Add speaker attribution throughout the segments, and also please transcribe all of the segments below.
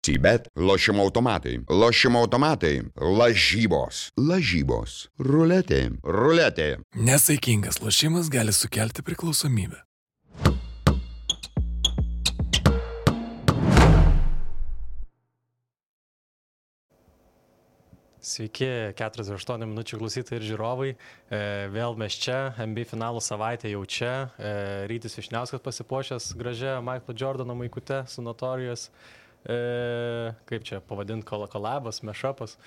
Speaker 1: Bet lošimo automatai, lažybos, ruletė.
Speaker 2: Nesaikingas lošimas gali sukelti priklausomybę.
Speaker 3: Sveiki, 48 minučių klausytojai ir žiūrovai. Vėl mes čia, NBA finalų savaitė jau čia. Rytis Vyšniauskas pasipuošęs gražia Michaelo Jordano maikute su Notorious. Kaip čia pavadinti, kolabas, mashupas,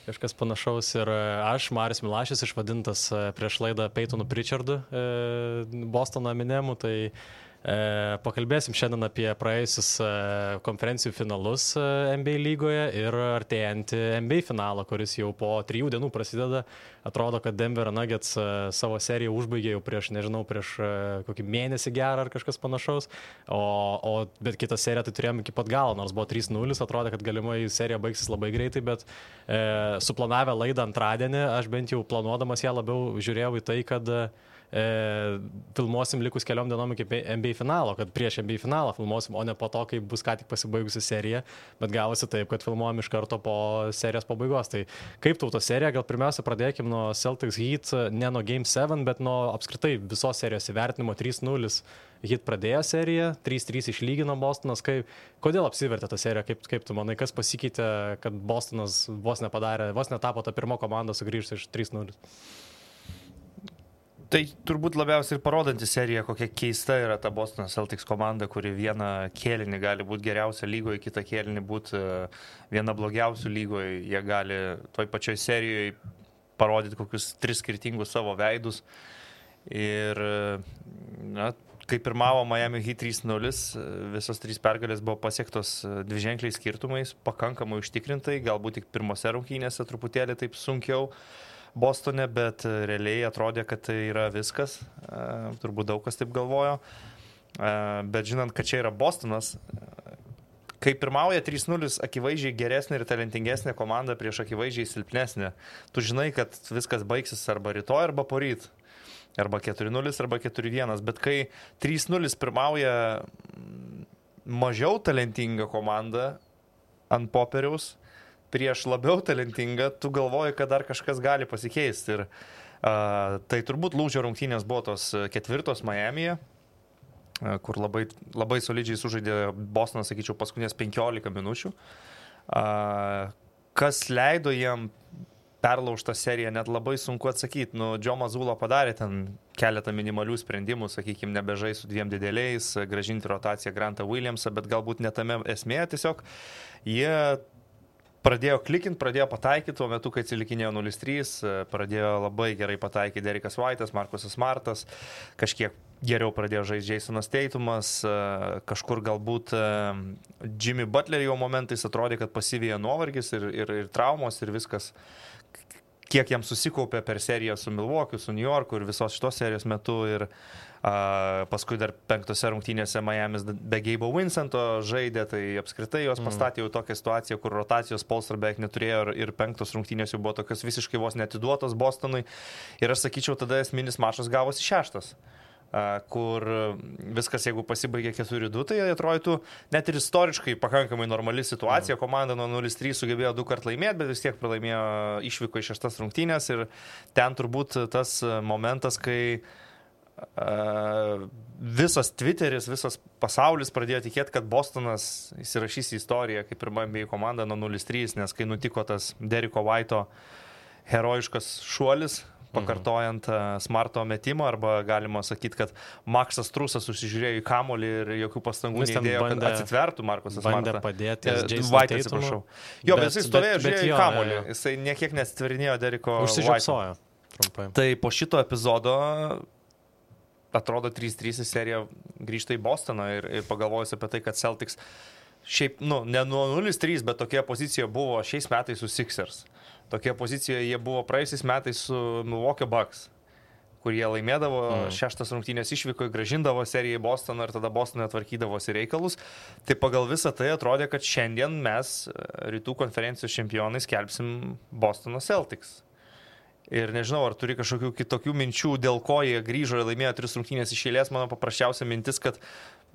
Speaker 3: kažkas panašaus. Ir aš, Marius Milašius, išvadintas prieš laidą Peytonu Pritchardu, Bostono Eminemu. Tai pakalbėsim šiandien apie praėjusius konferencijų finalus NBA lygoje ir artėjantį NBA finalą, kuris jau po 3 dienų prasideda. Atrodo, kad Denver Nuggets savo seriją užbaigė jau prieš kokį mėnesį gerą ar kažkas panašaus. Bet kitą seriją tai turėjom iki pat galo, nors buvo 3-0, atrodė, kad galimai serija baigsis labai greitai, bet suplanavę laidą antradienį, aš bent jau planuodamas ją labiau žiūrėjau į tai, kad filmuosim likus keliom dienom iki NBA finalo, kad prieš NBA finalą filmuosim, o ne po to, kai bus ką tik pasibaigusi serija, bet gavosi taip, kad filmuojam iš karto po serijos pabaigos. Tai kaip tauto serija, gal pirmiausia pradėkim nuo Celtics Heat, ne nuo Game 7, bet nuo apskritai visos serijos įvertinimo. 3-0 Heat pradėjo seriją, 3-3 išlygino Bostonas. Kodėl apsivertė ta serija, kaip tu manai, kas pasikeitė, kad Bostonas vos netapo ta pirma komanda sugrįžti iš 3-0?
Speaker 4: Tai turbūt labiausiai ir parodanti serija, kokia keista yra ta Bostono Celtics komanda, kuri vieną kėlinį gali būti geriausia lygoje, kitą kėlinį būti viena blogiausių lygoje. Jie gali toj pačioj serijoje parodyti kokius 3 skirtingus savo veidus. Ir kai pirmavo Miami Heat 3-0, visos 3 pergalės buvo pasiektos dviženkliais skirtumais, pakankamai užtikrintai, galbūt tik pirmose rungtynėse truputėlį taip sunkiau Bostone, bet realiai atrodė, kad tai yra viskas. Turbūt daug kas taip galvojo. Bet žinant, kad čia yra Bostonas, kai pirmauja 3-0 akivaizdžiai geresnė ir talentingesnė komanda prieš akivaizdžiai silpnesnė, tu žinai, kad viskas baigsis arba rytoj, arba poryt. Arba 4-0, arba 4-1. Bet kai 3-0 pirmauja mažiau talentinga komanda ant popieriaus, prieš labiau talentingą, tu galvoji, kad dar kažkas gali pasikeisti. Ir tai turbūt lūžio rungtynės buvo tos 4 Miamyje, kur labai, labai solidžiai sužaidė Bostonas, sakyčiau, paskutinės 15 minučių. Kas leido jiem perlaužtą seriją, net labai sunku atsakyti. Joe Mazzulla padarė ten keletą minimalių sprendimų, sakykime, nebežai su 2 dideliais, grąžinti rotaciją Grantą Williamsą, bet galbūt netame esmė, tiesiog jie pradėjo klikinti, pradėjo pataikyti, tuo metu, kai atsilikinėjo 0-3, pradėjo labai gerai pataikyti Derekas White'as, Marcusas Smartas, kažkiek geriau pradėjo žaisti Jasonas Tatumas, kažkur galbūt Jimmy Butler jau momentais atrodė, kad pasivijo nuovargis ir traumos ir viskas, kiek jam susikaupė per seriją su Milwaukee, su New Yorku ir visos šitos serijos metu. Ir paskui dar 5 rungtynėse Miamis be Gabe'o Vincento žaidė, tai apskritai jos pastatė jau tokią situaciją, kur rotacijos polstro beveik neturėjo ir 5 rungtynės jau buvo tokios visiškai vos netiduotos Bostonui. Ir aš sakyčiau, tada esminis mačas gavosi 6, kur viskas, jeigu pasibaigė 4-2, tai atrodytų net ir istoriškai pakankamai normali situacija. Komanda nuo 0-3 sugebėjo 2 kartus laimėti, bet vis tiek pralaimėjo, išvyko į 6 rungtynės. Ir ten turbūt tas momentas, kai visas Twitteris, visas pasaulis pradėjo tikėti, kad Bostonas įsirašys į istoriją kaip pirma NBA komanda nuo 0-3, nes kai nutiko tas Dereko White'o herojiškas šuolis, pakartojant Smarto metimą, arba galima sakyti, kad Maksas Trusas susižiūrėjo į kamuolį ir jokių pastangų neįdėjo, kad atsitvertų Markusas Smartą.
Speaker 3: Bandė padėti
Speaker 4: White, atsiprašau. Jo, bet jisai stovėjo, žiūrėjo į kamuolį. Jisai niekiek neatsitverninėjo Dereko White'o.
Speaker 3: Užsižiopsojo trumpai.
Speaker 4: Tai po šito epizodo atrodo 3-3 serija grįžta į Bostoną ir pagalvojus apie tai, kad Celtics šiaip, ne nuo 0-3, bet tokia pozicija buvo šiais metais su Sixers. Tokia pozicija jie buvo praėjusiais metais su Milwaukee Bucks, kur jie laimėdavo 6 rungtynės išvyko, grąžindavo seriją į Bostoną ir tada Bostonui atvarkydavosi reikalus. Tai pagal visą tai atrodė, kad šiandien mes rytų konferencijos čempionai skelbsim Bostono Celtics. Ir nežinau, ar turi kažkokių kitokių minčių, dėl ko jie grįžo ir laimėjo 3 rungtynės iš eilės. Mano paprasčiausia mintis, kad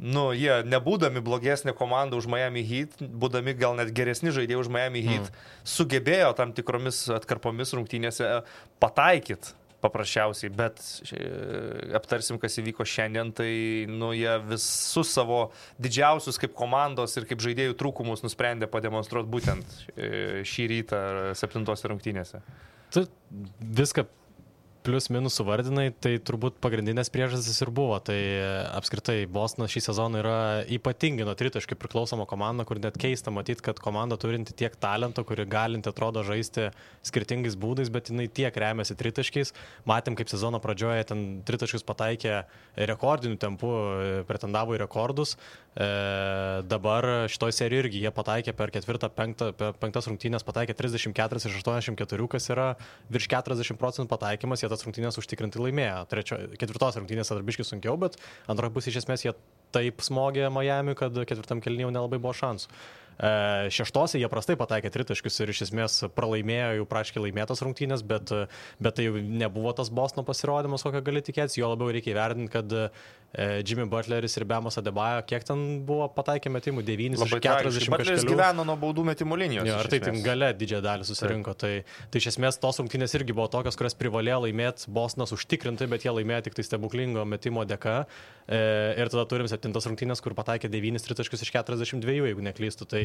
Speaker 4: jie nebūdami blogesnė komanda už Miami Heat, būdami gal net geresni žaidėjai už Miami Heat, sugebėjo tam tikromis atkarpomis rungtynėse pataikyti paprasčiausiai, bet aptarsim, kas įvyko šiandien, tai jie visus savo didžiausius kaip komandos ir kaip žaidėjų trūkumus nusprendė pademonstruoti būtent šį rytą 7 rungtynėse.
Speaker 3: Tu viską plius minus suvardinai, tai turbūt pagrindinės priežastys ir buvo. Tai apskritai Bostonas šį sezoną yra ypatingai nuo tritaškių priklausoma komanda, kur net keista matyti, kad komanda turinti tiek talento, kuri galinti atrodo žaisti skirtingais būdais, bet jinai tiek remiasi tritaškiais. Matėm, kaip sezono pradžioje ten tritaškius pataikė rekordiniu tempu, pretendavo į rekordus. Dabar šitoj serijoje irgi jie pataikė per 4-5 rungtynės, pataikė 34 iš 84, kas yra virš 40% pataikymas. Tas rungtynės užtikrinti laimėjo. 4 rungtynės darbiškai sunkiau, bet antroje pusėje iš esmės jie taip smogė Miami, kad 4 kėlinyje jau nelabai buvo šansų. 6 jie prastai pataikė tritaškius ir iš esmės pralaimėjo jau praškai laimėtas rungtynės, bet tai jau nebuvo tas Bostono pasirodymas, kokio gali tikėtis. Jo labiau reikia įvertinti, kad Jimmy Butleris ir Bemas Adebayo, kiek ten buvo pataikę metimų, 9 iš 40
Speaker 4: Butleris gyveno nuo baudų metimų linijos.
Speaker 3: Jo, ar tai ten gale didžiąją dalį susirinko. Tai iš esmės tos rungtynės irgi buvo tokios, kurias privalėjo laimėti Bostonas užtikrintai, bet jie laimėjo tik tai stebuklingo metimo dėka. Ir tada turim 7 rungtynės, kur pataikė 9 tritaškius iš 42, jeigu neklystu. Tai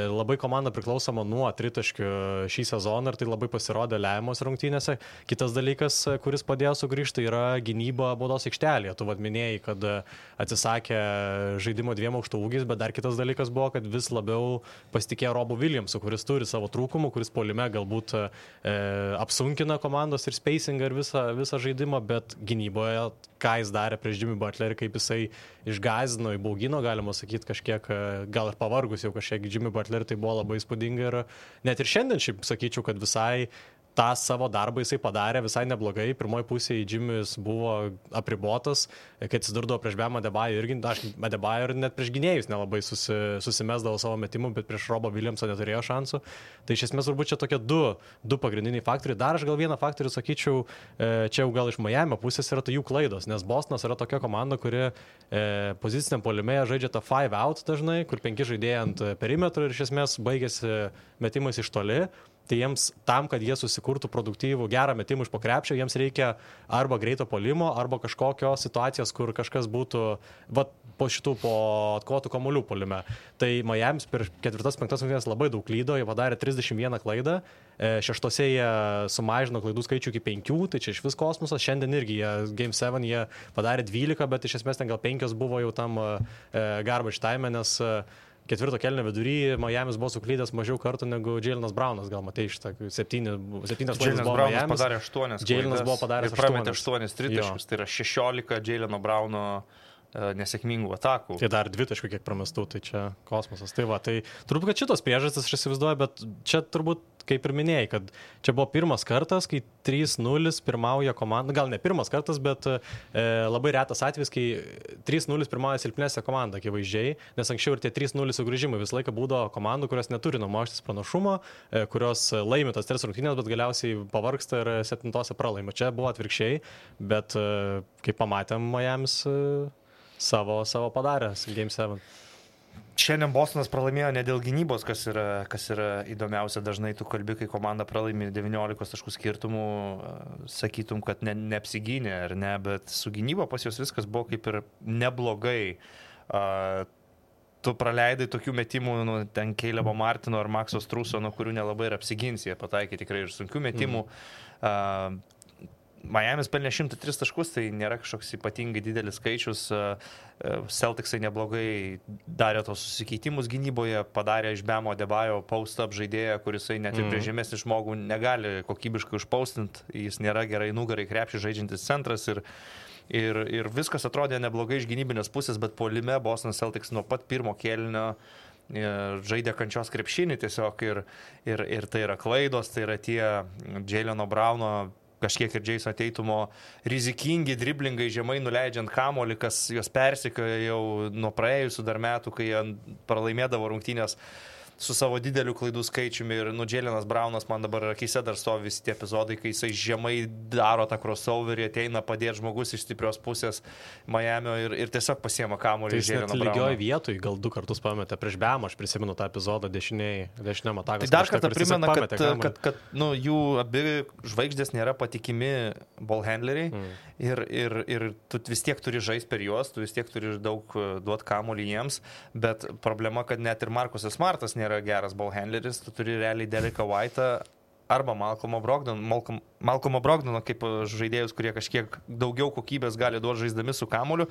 Speaker 3: labai komanda priklausoma nuo tritaškių šį sezoną ir tai labai pasirodė lemiamos rungtynėse. Kitas dalykas, kuris padėjo sugrįžti, yra gynyba baudos aikštelėje. Tu minėjai, kad atsisakė žaidimo 2 aukštų ūgiais, bet dar kitas dalykas buvo, kad vis labiau pasitikėjo Robu Williamsu, kuris turi savo trūkumų, kuris puolime galbūt apsunkina komandos ir spacingą ir visą žaidimą, bet gynyboje, ką jis darė prieš Jimmy Butlerį, kaip jisai išgąsdino, įbaugino, galima sakyti, kažkiek, gal ir pavargus jau kažkiek Jimmy Butlerį, tai buvo labai įspūdinga ir net ir šiandien šiaip sakyčiau, kad visai tą savo darbą jisai padarė visai neblogai. Pirmoji pusėje Jimmys buvo apribotas, kai atsidurdavo prieš Bamą Adebayo irgi, Adebayo ir net prieš gynėjus nelabai susimesdavo savo metimų, bet prieš Robą Williamsą neturėjo šansų. Tai iš esmės turbūt čia tokie du pagrindiniai faktoriai. Dar aš gal vieną faktorių sakyčiau, čia jau gal iš Miami pusės yra tai jų klaidos, nes Bostonas yra tokia komanda, kuri poziciniam puolime žaidžia tą 5 out dažnai, kur 5 žaidėjai ant perimetro ir iš esmės baigėsi metimais iš toli. Tai jiems tam, kad jie susikurtų produktyvų gerą metimą iš po krepšio, jiems reikia arba greito puolimo, arba kažkokios situacijos, kur kažkas būtų po atkovotų kamuolių puolime. Tai Miami's per 4-5 rungtynes labai daug klydo, jie padarė 31 klaidą, 6 jie sumažino klaidų skaičių iki 5, tai čia iš vis kosmosas. Šiandien irgi Game 7 jie padarė 12, bet iš esmės ten gal 5 buvo jau tam garbage time, nes 4 kėlinio vidury Miami's buvo suklydęs mažiau kartų negu Jaylenas Brownas, gal matai šitą 7 klaidas buvo Miami's.
Speaker 4: Padarė 8
Speaker 3: Jaylenas buvo padaręs 8.
Speaker 4: Prametė 8 tritaškius, tai yra 16 Jayleno Browno nesėkmingų atakų.
Speaker 3: Tai dar 2 taškų kiek pramestų, tai čia kosmosas. Tai turbūt, kad šitos priežastis aš įsivaizduoju, bet čia turbūt, kaip ir minėjai, kad čia buvo pirmas kartas, kai 3-0 pirmauja komanda, gal ne pirmas kartas, bet labai retas atvejis, kai 3-0 pirmauja silpnesnė komanda, akivaizdžiai, nes anksčiau ir tie 3-0 sugrįžimai visą laiką būdavo komandų, kurios neturi numoštis pranašumo, kurios laimi tas 3 rungtynės, bet galiausiai pavargsta ir 7 pralaimi. Čia buvo atvirkščiai, bet kaip pamatėm, Miami's savo padarė Game 7.
Speaker 4: Šiandien Bostonas pralaimėjo ne dėl gynybos, kas yra įdomiausia. Dažnai tu kalbi, kai komanda pralaimi 19 taškų skirtumų, sakytum, kad neapsigynė ar ne, bet su gynyba pas jos viskas buvo kaip ir neblogai. Tu praleidai tokių metimų, ten Calebo Martino ar Maxo Struso, nuo kurių nelabai ir apsigins, jie pataikė tikrai ir sunkių metimų. Miami's pelnė 103 taškus, tai nėra kažkoks ypatingai didelis skaičius. Celticsai neblogai darė tos susikeitimus gynyboje, padarė iš Bamo Adebayo post-up žaidėją, kuris net ir prie žemesnį žmogų negali kokybiškai užpaustinti. Jis nėra gerai nugarai krepšį žaidžiantis centras ir viskas atrodė neblogai iš gynybinės pusės, bet puolime Boston Celtics nuo pat pirmo kėlinio žaidė kančios krepšinį tiesiog ir tai yra klaidos, tai yra tie Jayleno Browno kažkiek ir Jason Tatumo rizikingi driblingai žemai nuleidžiant kamuolį, kas juos persekioja jau nuo praėjusių dar metų, kai jie pralaimėdavo rungtynės. su savo dideliu klaidų skaičiumi ir Jaylenas Brownas man dabar akise dar stovi visi tie epizodai, kai jisai žemai daro tą crossoverį, ateina padėti žmogus iš stiprios pusės Miamio ir tiesiog pasiema kamuolį iš Jayleno Browno.
Speaker 3: Tai lygioj vietoj gal 2 kartus pametė prieš Bemą, aš prisimenu tą epizodą dešiniam atakas.
Speaker 4: Tai dar kartą primena, kad jų abi žvaigždės nėra patikimi ball handleriai ir tu vis tiek turi žaisti per juos, tu vis tiek turi daug duoti kamuolį jiems, bet problema, kad net ir Marcusas Smartas nėra geras ball handleris, tu turi realiai Dereką White'ą arba Malcolmo Brogdono kaip žaidėjus, kurie kažkiek daugiau kokybės gali duoti žaisdami su kamuoliu,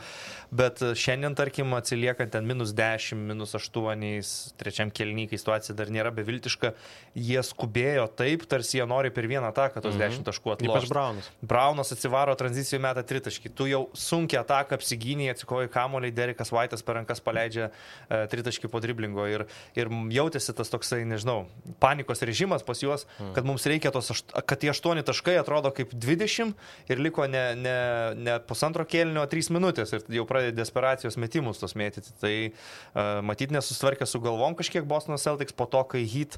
Speaker 4: bet šiandien, tarkim, atsiliekant ten -10, -8, trečiam kėliny, kai situacija dar nėra beviltiška, jie skubėjo taip, tarsi jie nori per vieną ataką tos 10 taškų atlošti.
Speaker 3: Ypač Brownas.
Speaker 4: Brownas atsivaro tranzicijų metą 3 taškį. Tu jau sunkia ataką apsigyniai, atsikoji kamuolį, Derekas White'as per rankas paleidžia 3 taškį po driblingo ir jautėsi tas toksai, nežinau, panikos režimas pas juos, kad mums reikia kad tie 8 taškai atrodo kaip 20 ir liko ne pusantro kėlinio, 3 minutės ir jau pradėjo desperacijos metimus tos mėtyti. Tai matyt nesusitvarkė su galvom kažkiek Bostono Celtics po to, kai Heat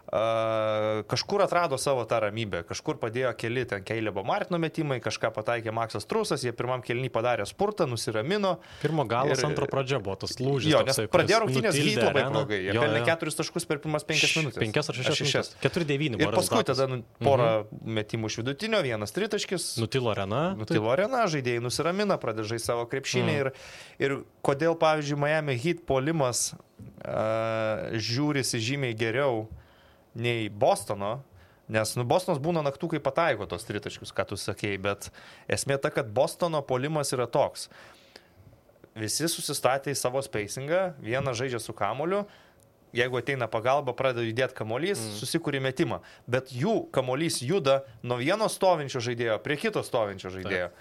Speaker 4: kažkur atrado savo tą ramybę, kažkur padėjo keli ten Calebo Martino metimai, kažką pataikė Maksas Trusas, jie pirmam kėlinį padarė spurtą, nusiramino.
Speaker 3: Pirmo galas, antro pradžia buvo tas lūžis.
Speaker 4: Jo, nes pradėjo rungtynės Heat labai blogai. Jie pelnė 4 taškus per pirmas 5 minutės.
Speaker 3: 5 ar 6. 4-9 buvo.
Speaker 4: Ir paskui tada porą metimų iš vidutinio, 1 tritaškis.
Speaker 3: Nutilo arena,
Speaker 4: žaidėjai nusiramina, pradeda žaisti savo krepšinį ir kodėl, pavyzdžiui, Miami Heat puolimas žiūrisi žymiai geriau nei Bostono, nes Bostonas būna naktų, kai pataiko tos tritaškius, ką tu sakėjai, bet esmė ta, kad Bostono puolimas yra toks. Visi susistatė į savo spacingą, vieną žaidžia su kamuoliu, jeigu ateina pagalba, pradeda judėti kamuolys, susikūrė metimą, bet jų kamuolys juda nuo vieno stovinčio žaidėjo prie kito stovinčio žaidėjo.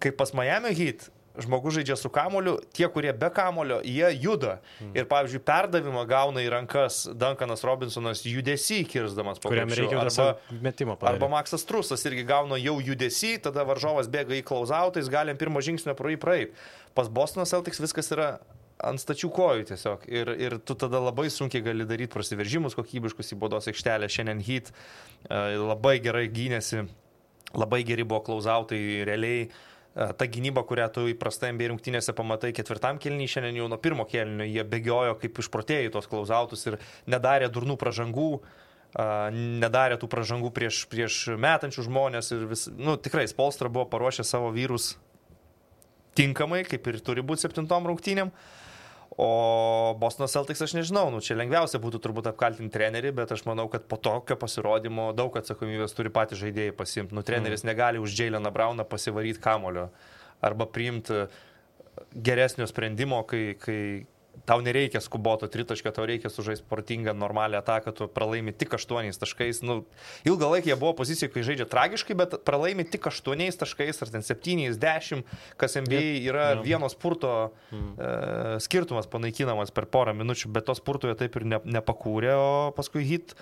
Speaker 4: Kaip pas Miami Heat, žmogus žaidžia su kamuoliu, tie, kurie be kamuolio, jie juda. Ir, pavyzdžiui, perdavimą gauna į rankas Duncanas Robinsonas judesį kirsdamas po krepšiu. Arba Maksas Trusas irgi gauna jau judesį, tada varžovas bėga į close-outą, jis gali pirmo žingsnio pro jį praeit. Pas Bostono Celtics viskas yra ant stačių kojų tiesiog. Ir tu tada labai sunkiai gali daryti prasiveržimus kokybiškus į baudos aikštelę. Šiandien Heat labai gerai gynėsi, labai geri buvo close-outai realiai. Ta gynyba, kurią tu įprastai NBA rungtynėse pamatai 4 kėlinį, šiandien jau nuo 1 kėlinio jie bėgiojo kaip išprotėjai tos close-outus ir nedarė durnų pražangų, nedarė tų pražangų prieš metančių žmonės ir tikrai Spoelstra buvo paruošę savo vyrus tinkamai, kaip ir turi būti 7 rungtynėm. O Bostono Celtics aš nežinau, čia lengviausia būtų turbūt apkaltinti trenerį, bet aš manau, kad po tokio pasirodymo daug atsakomybės turi patys žaidėjai pasimti. Treneris negali už Jayleną Browną pasivaryti kamulio arba priimti geresnio sprendimo, kai tau nereikia skuboto tritaškio, tau reikia sužaisti sportingą, normalią ataką, tu pralaimi tik 8 taškais. Ilgą laiką jie buvo pozicijoje, kai žaidžia tragiškai, bet pralaimi tik 8 taškais, ar ten 7-10, kas NBA yra vieno spurto skirtumas panaikinamas per porą minučių, bet to spurto jie taip ir nepakūrė, o paskui Heat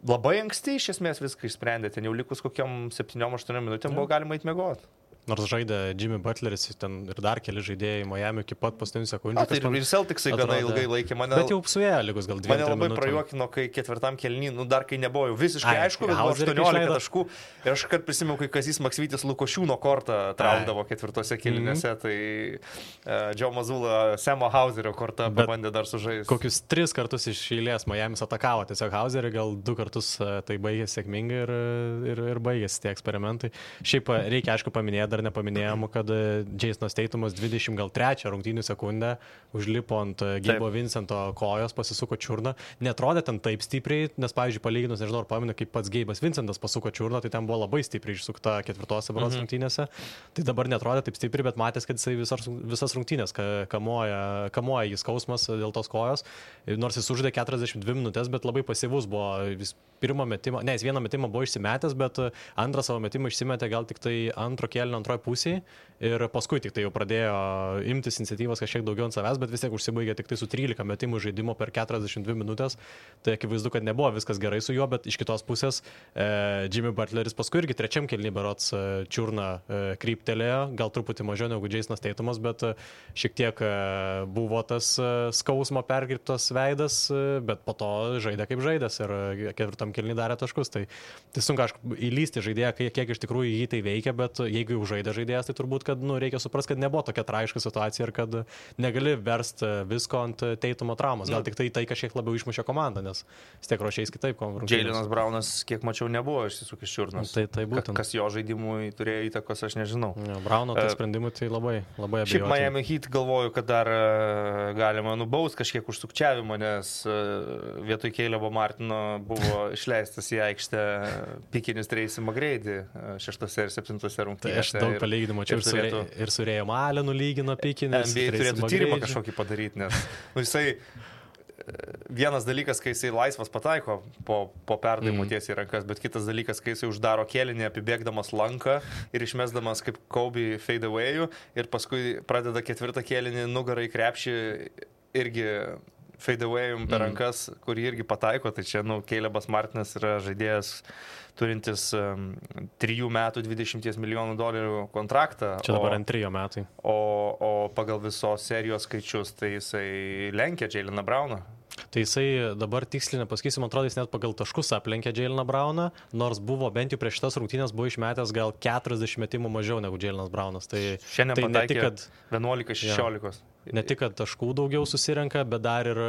Speaker 4: labai anksti iš esmės viską išsprendė, ten jau likus kokiam 7-8 minutėm buvo galima eit miegoti.
Speaker 3: Nors žaidė Jimmy Butleris ten ir dar keli žaidėjai Miami iki pat paskutinių sekundžių.
Speaker 4: Tai ir Celticsai gana ilgai laikė mane.
Speaker 3: Bet jau suėjo lygus gal 2 minutės.
Speaker 4: Mane labai prajuokino, kai 4 kėlinį, dar kai nebuvo jau visiškai aišku, bet buvo 18 taškų. Ir aš kart prisimenu, kai Kazys Maksvytis Lukošiūno kortą traukdavo 4 kėlinėse, tai Joe Mazzulla Semo Hauserio kortą pabandė dar sužaisti.
Speaker 3: Kokius 3 kartus iš eilės Miamis atakavo tiesiog Hauserį, gal 2 kartus tai baigėsi sėkmingai ir baigėsi tie eksperimentai. Šiaip reikia aišku paminėti, dar nepaminėjom, kad Jasonas Tatumas 23 rungtynių sekundę užlipo ant Gabe'o Vincento kojos, pasisuko čiurną. Netrodė ten taip stipriai, nes, pavyzdžiui, palyginus, nežinau, ar pamenu, kaip pats Gabe'as Vincentas pasuko čiurną, tai ten buvo labai stipriai išsukta 4 rungtynėse. Tai dabar netrodė taip stipriai, bet matęs, kad jisai visas rungtynės kamuoja jis skausmas dėl tos kojos. Nors jis uždė 42 minutės, bet labai pasyvus buvo. Jis pirmą metimą, jis vieną metimą buvo išsimetęs, bet antrą savo metimą išsimetė gal tik tai antro kėlinio antroje pusėje ir paskui tik tai jau pradėjo imtis iniciatyvos kažkiek daugiau ant savęs, bet vis tiek užsibaigė tik tai su 13 metimų žaidimo per 42 minutės. Tai akivaizdu, kad nebuvo viskas gerai su juo, bet iš kitos pusės Jimmy Butleris paskui irgi trečiam kėliny berods čiurną kryptelėjo, gal truputį mažiau negu Jasonas Tatumas, bet šiek tiek buvo tas skausmo perkirptas veidas, bet po to žaidė kaip žaidęs ir ketvirtam kėliny darė taškus. Tai sunku aišku įlysti žaidėją, kiek iš tikrųjų jį tai veikia, bet jeigu jau žaidė žaidėjas, tai turbūt, kad reikia suprasti, kad nebuvo tokia tragiška situacija ir kad negali versti visko ant Tatumo traumos. Gal tik tai kažkiek labiau išmušė komandą, nes vis tiek ruošiais kitaip.
Speaker 4: Jaylenas Brownas, kiek mačiau, nebuvo išsisukęs čiurnos.
Speaker 3: Tai būtent.
Speaker 4: Kas jo žaidimui turėjo įtakos, aš nežinau.
Speaker 3: Browno tai sprendimui tai labai abejoju.
Speaker 4: Šiaip Miami Heat galvoju, kad dar galima nubaust kažkiek už sukčiavimą, nes vietoj Calebo Martino buvo išleistas į aikštę pikinis Tracy McGrady 6 ir 7 rungtynėse.
Speaker 3: Tai aš daug palyginimų čia ir su Rėjom Alenu lygino pikinis.
Speaker 4: NBA turėtų tyrimą kažkokį padaryti, nes jisai vienas dalykas, kai jisai laisvas pataiko po perdavimų tiesiai į rankas, bet kitas dalykas, kai jisai uždaro kėlinį apibėgdamas lanką ir išmesdamas kaip Kobe fade away'ų ir paskui pradeda ketvirtą kėlinį nugarą į krepšį irgi fade away'um per rankas, kurį irgi pataiko. Tai čia, Calebas Martinas yra žaidėjas turintis 3 metų $20 milijonų kontraktą.
Speaker 3: Čia dabar ant 3 metai.
Speaker 4: O pagal visos serijos skaičius, tai jisai lenkia Jayleną Browną.
Speaker 3: Tai jisai dabar tiksliai nepasakysiu, man atrodo, jis net pagal taškus aplenkė Jayleną Browną, nors buvo bent jau prieš šitas rungtynės buvo išmetęs gal 40 metimų mažiau negu Jaylenas Brownas. Tai
Speaker 4: šiandien
Speaker 3: pataikė
Speaker 4: 11-16.
Speaker 3: Ne tik, kad taškų daugiau susirenka, bet dar ir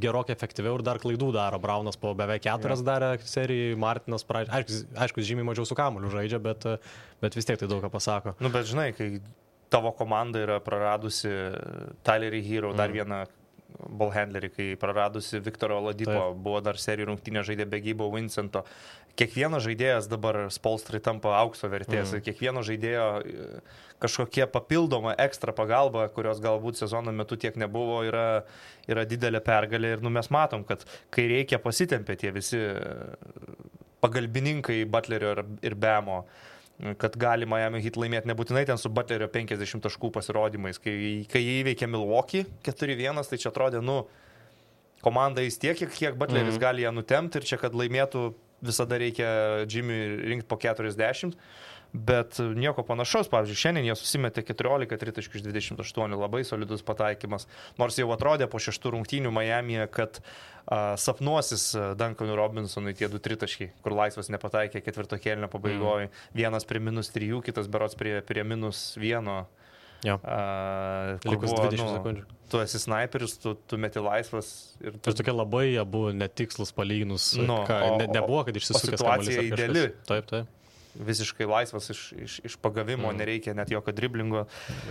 Speaker 3: gerokai efektyviau ir dar klaidų daro. Brownas po beveik 4 darė serijai, Martinas, aišku, žymiai mažiau su kamuoliu žaidžia, bet vis tiek tai daug ką pasako.
Speaker 4: Bet žinai, kai tavo komanda yra praradusi Tylerį Hero, dar vieną ballhandlerį, kai praradusi Viktoro Oladipo, buvo dar serijų rungtynė žaidė be Gabe'o Vincento. Kiekvienas žaidėjas dabar Spolstrai tampa aukso vertės, kiekvieno žaidėjo kažkokia papildoma ekstra pagalba, kurios galbūt sezono metu tiek nebuvo, yra didelė pergalė ir mes matom, kad kai reikia pasitempė tie visi pagalbininkai Butlerio ir Bamo, kad gali Miami Heat laimėti nebūtinai ten su Butlerio 50 taškų pasirodymais. Kai jie įveikė Milwaukee 4-1, tai čia atrodė, komanda jis tiek, kiek Butleris gali ją nutemti ir čia, kad laimėtų, visada reikia Jimmy rinkti po 40. Bet nieko panašaus, pavyzdžiui, šiandien jie susimetė 14 3.28, labai solidus pataikymas. Nors jau atrodė po 6 rungtynių Miamyje, kad sapnuosis Duncanui Robinsonui tie 2 tritaškiai, kur laisvas nepataikė ketvirto kėlinio pabaigoje. Vienas prie -3, kitas berods prie -1.
Speaker 3: Jo. Likus 20 sekundžių.
Speaker 4: Tu esi sniperis, tu meti laisvas. Ir
Speaker 3: tokie labai abu netikslus palyginus. Nebuvo, kad išsisukęs kamuolys.
Speaker 4: Situacija ideali.
Speaker 3: Taip.
Speaker 4: Visiškai laisvas iš pagavimo, nereikia net jokio driblingo.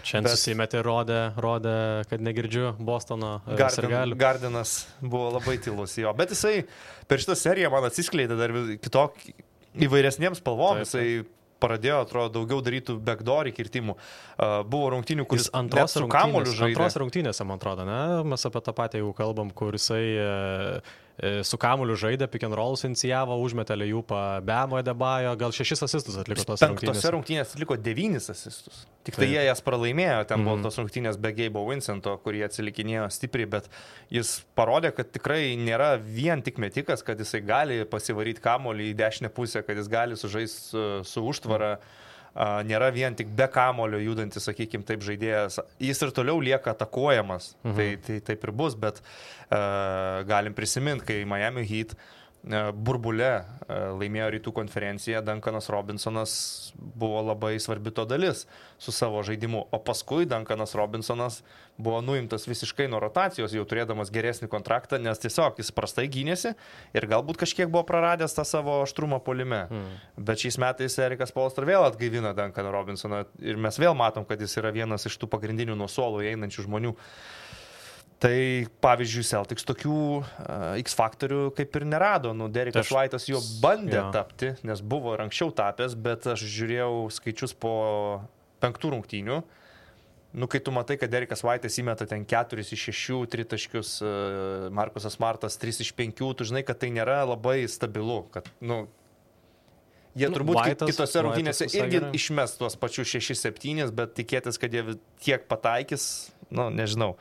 Speaker 3: Šiandien susimetė, rodė, kad negirdžiu Bostono sirgalių.
Speaker 4: Gardinas buvo labai tylus jo, bet jisai per šitą seriją man atsiskleidė dar kitokį įvairesniems spalvom, jisai pradėjo, atrodo, daugiau darytų backdoor kirtimų. Buvo rungtynių, kuris net su kamuoliu žaidė.
Speaker 3: Antros rungtynėse, man atrodo, ne? Mes apie tą patį jau kalbam, kur jisai su kamuoliu žaidė, pick and rollus inicijavo, užmetė Lejupą, Bemo Adebayo, gal 6 asistus atliko tos rungtynės.
Speaker 4: Penktose rungtynės atliko 9 asistus. Tik tai jie jas pralaimėjo, ten buvo tos rungtynės be Gabe'o Vincento, kurį atsilikinėjo stipriai, bet jis parodė, kad tikrai nėra vien tik metikas, kad jisai gali pasivaryti kamuolį į dešinę pusę, kad jis gali sužaisti su užtvara. Nėra vien tik be kamulio judantis, sakykime, taip žaidėjas. Jis ir toliau lieka atakuojamas. Tai taip ir bus, bet galim prisiminti, kai Miami Heat burbule laimėjo rytų konferenciją, Duncanas Robinsonas buvo labai svarbi to dalis su savo žaidimu. O paskui Duncanas Robinsonas buvo nuimtas visiškai nuo rotacijos, jau turėdamas geresnį kontraktą, nes tiesiog jis prastai gynėsi ir galbūt kažkiek buvo praradęs tą savo aštrumą puolime. Bet šiais metais Erikas Spoelstra vėl atgaivina Duncaną Robinsoną ir mes vėl matom, kad jis yra vienas iš tų pagrindinių nuo suolo einančių žmonių. Tai, pavyzdžiui, Celtics tokių X-faktorių kaip ir nerado. Derekas White'as jo bandė tapti, nes buvo ir anksčiau tapęs, bet aš žiūrėjau skaičius po 5 rungtynių. Kai tu matai, kad Derekas White'as įmeta ten 4 iš 6 tritaškius, Markusas Smartas 3 iš 5, tu žinai, kad tai nėra labai stabilu. Kad, Jie turbūt kitose rungtynėse irgi
Speaker 3: gerai.
Speaker 4: išmes tuos pačius 6-7, bet tikėtis, kad jie tiek pataikys, nežinau.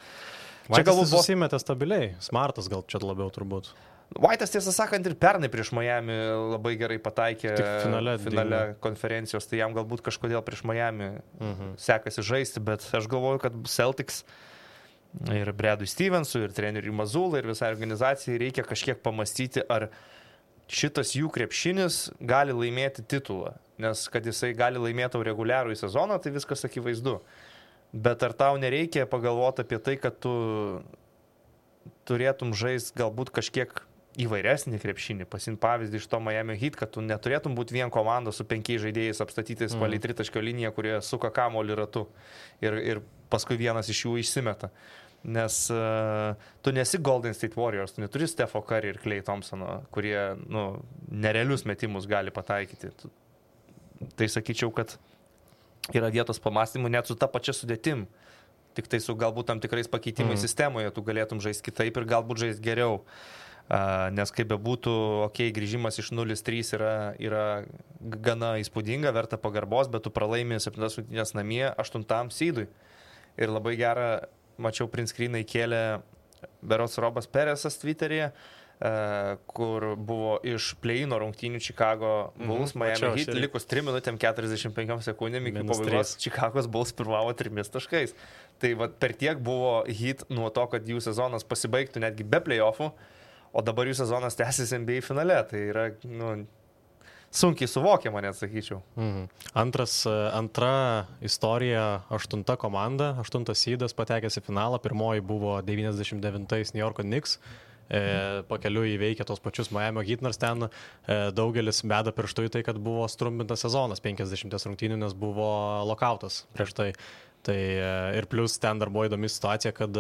Speaker 3: Čia galbūt susimetė stabiliai, Smartas gal čia labiau turbūt.
Speaker 4: White'as, tiesą sakant, ir pernai prieš Miami labai gerai pataikė finale konferencijos, tai jam galbūt kažkodėl prieš Miami sekasi žaisti, bet aš galvoju, kad Celtics ir Bradui Stevensui, ir treneriui Mazulai, ir visai organizacijai reikia kažkiek pamastyti, ar šitas jų krepšinis gali laimėti titulą, nes kad jisai gali laimėti reguliarų į sezoną, tai viskas akivaizdu. Bet ar tau nereikia pagalvoti apie tai, kad tu turėtum žaisti galbūt kažkiek įvairesnį krepšinį, pasimti pavyzdį iš to Miami Heat, kad tu neturėtum būti vien komanda su 5 žaidėjais apstatytais palei tritaškio liniją, kurie suka kamuolį ratu ir paskui vienas iš jų išsimeta. Nes tu nesi Golden State Warriors, tu neturi Stepho Curry ir Klay Thompsono, kurie nerealius metimus gali pataikyti. Tai sakyčiau, kad yra vietos pamastymų net su ta pačia sudėtim. Tik tai su galbūt tam tikrais pakeitimais sistemoje tu galėtum žaisti kitaip ir galbūt žaisti geriau. Nes kaip bebūtų, grįžimas iš 0-3 yra gana įspūdinga, verta pagarbos, bet tu pralaimi 7 rungtynes namie 8 seedui. Ir labai gerą, mačiau, print screeną įkėlė berods Robas Peresas Twitteryje, kur buvo iš play-ino rungtynių Chicago Bulls, Miami Heat, likus 3 minutėm 45 sekundėm iki pabaigos Chicagos Bulls pirmavo 3 taškais. Tai per tiek buvo Heat nuo to, kad jų sezonas pasibaigtų netgi be play-offų, o dabar jų sezonas tęsis NBA finale. Tai yra sunkiai suvokiama, net sakyčiau.
Speaker 3: Antra istorija, 8 komanda, 8 seedas patekęs į finalą, pirmoji buvo 99 New Yorko Knicks. Pakeliu įveikė tos pačius Miami Heat, nors ten daugelis beda pirštų į tai, kad buvo strumpintas sezonas 50 rungtynių, nes buvo lokautas prieš tai. Ir plus ten dar buvo įdomi situacija, kad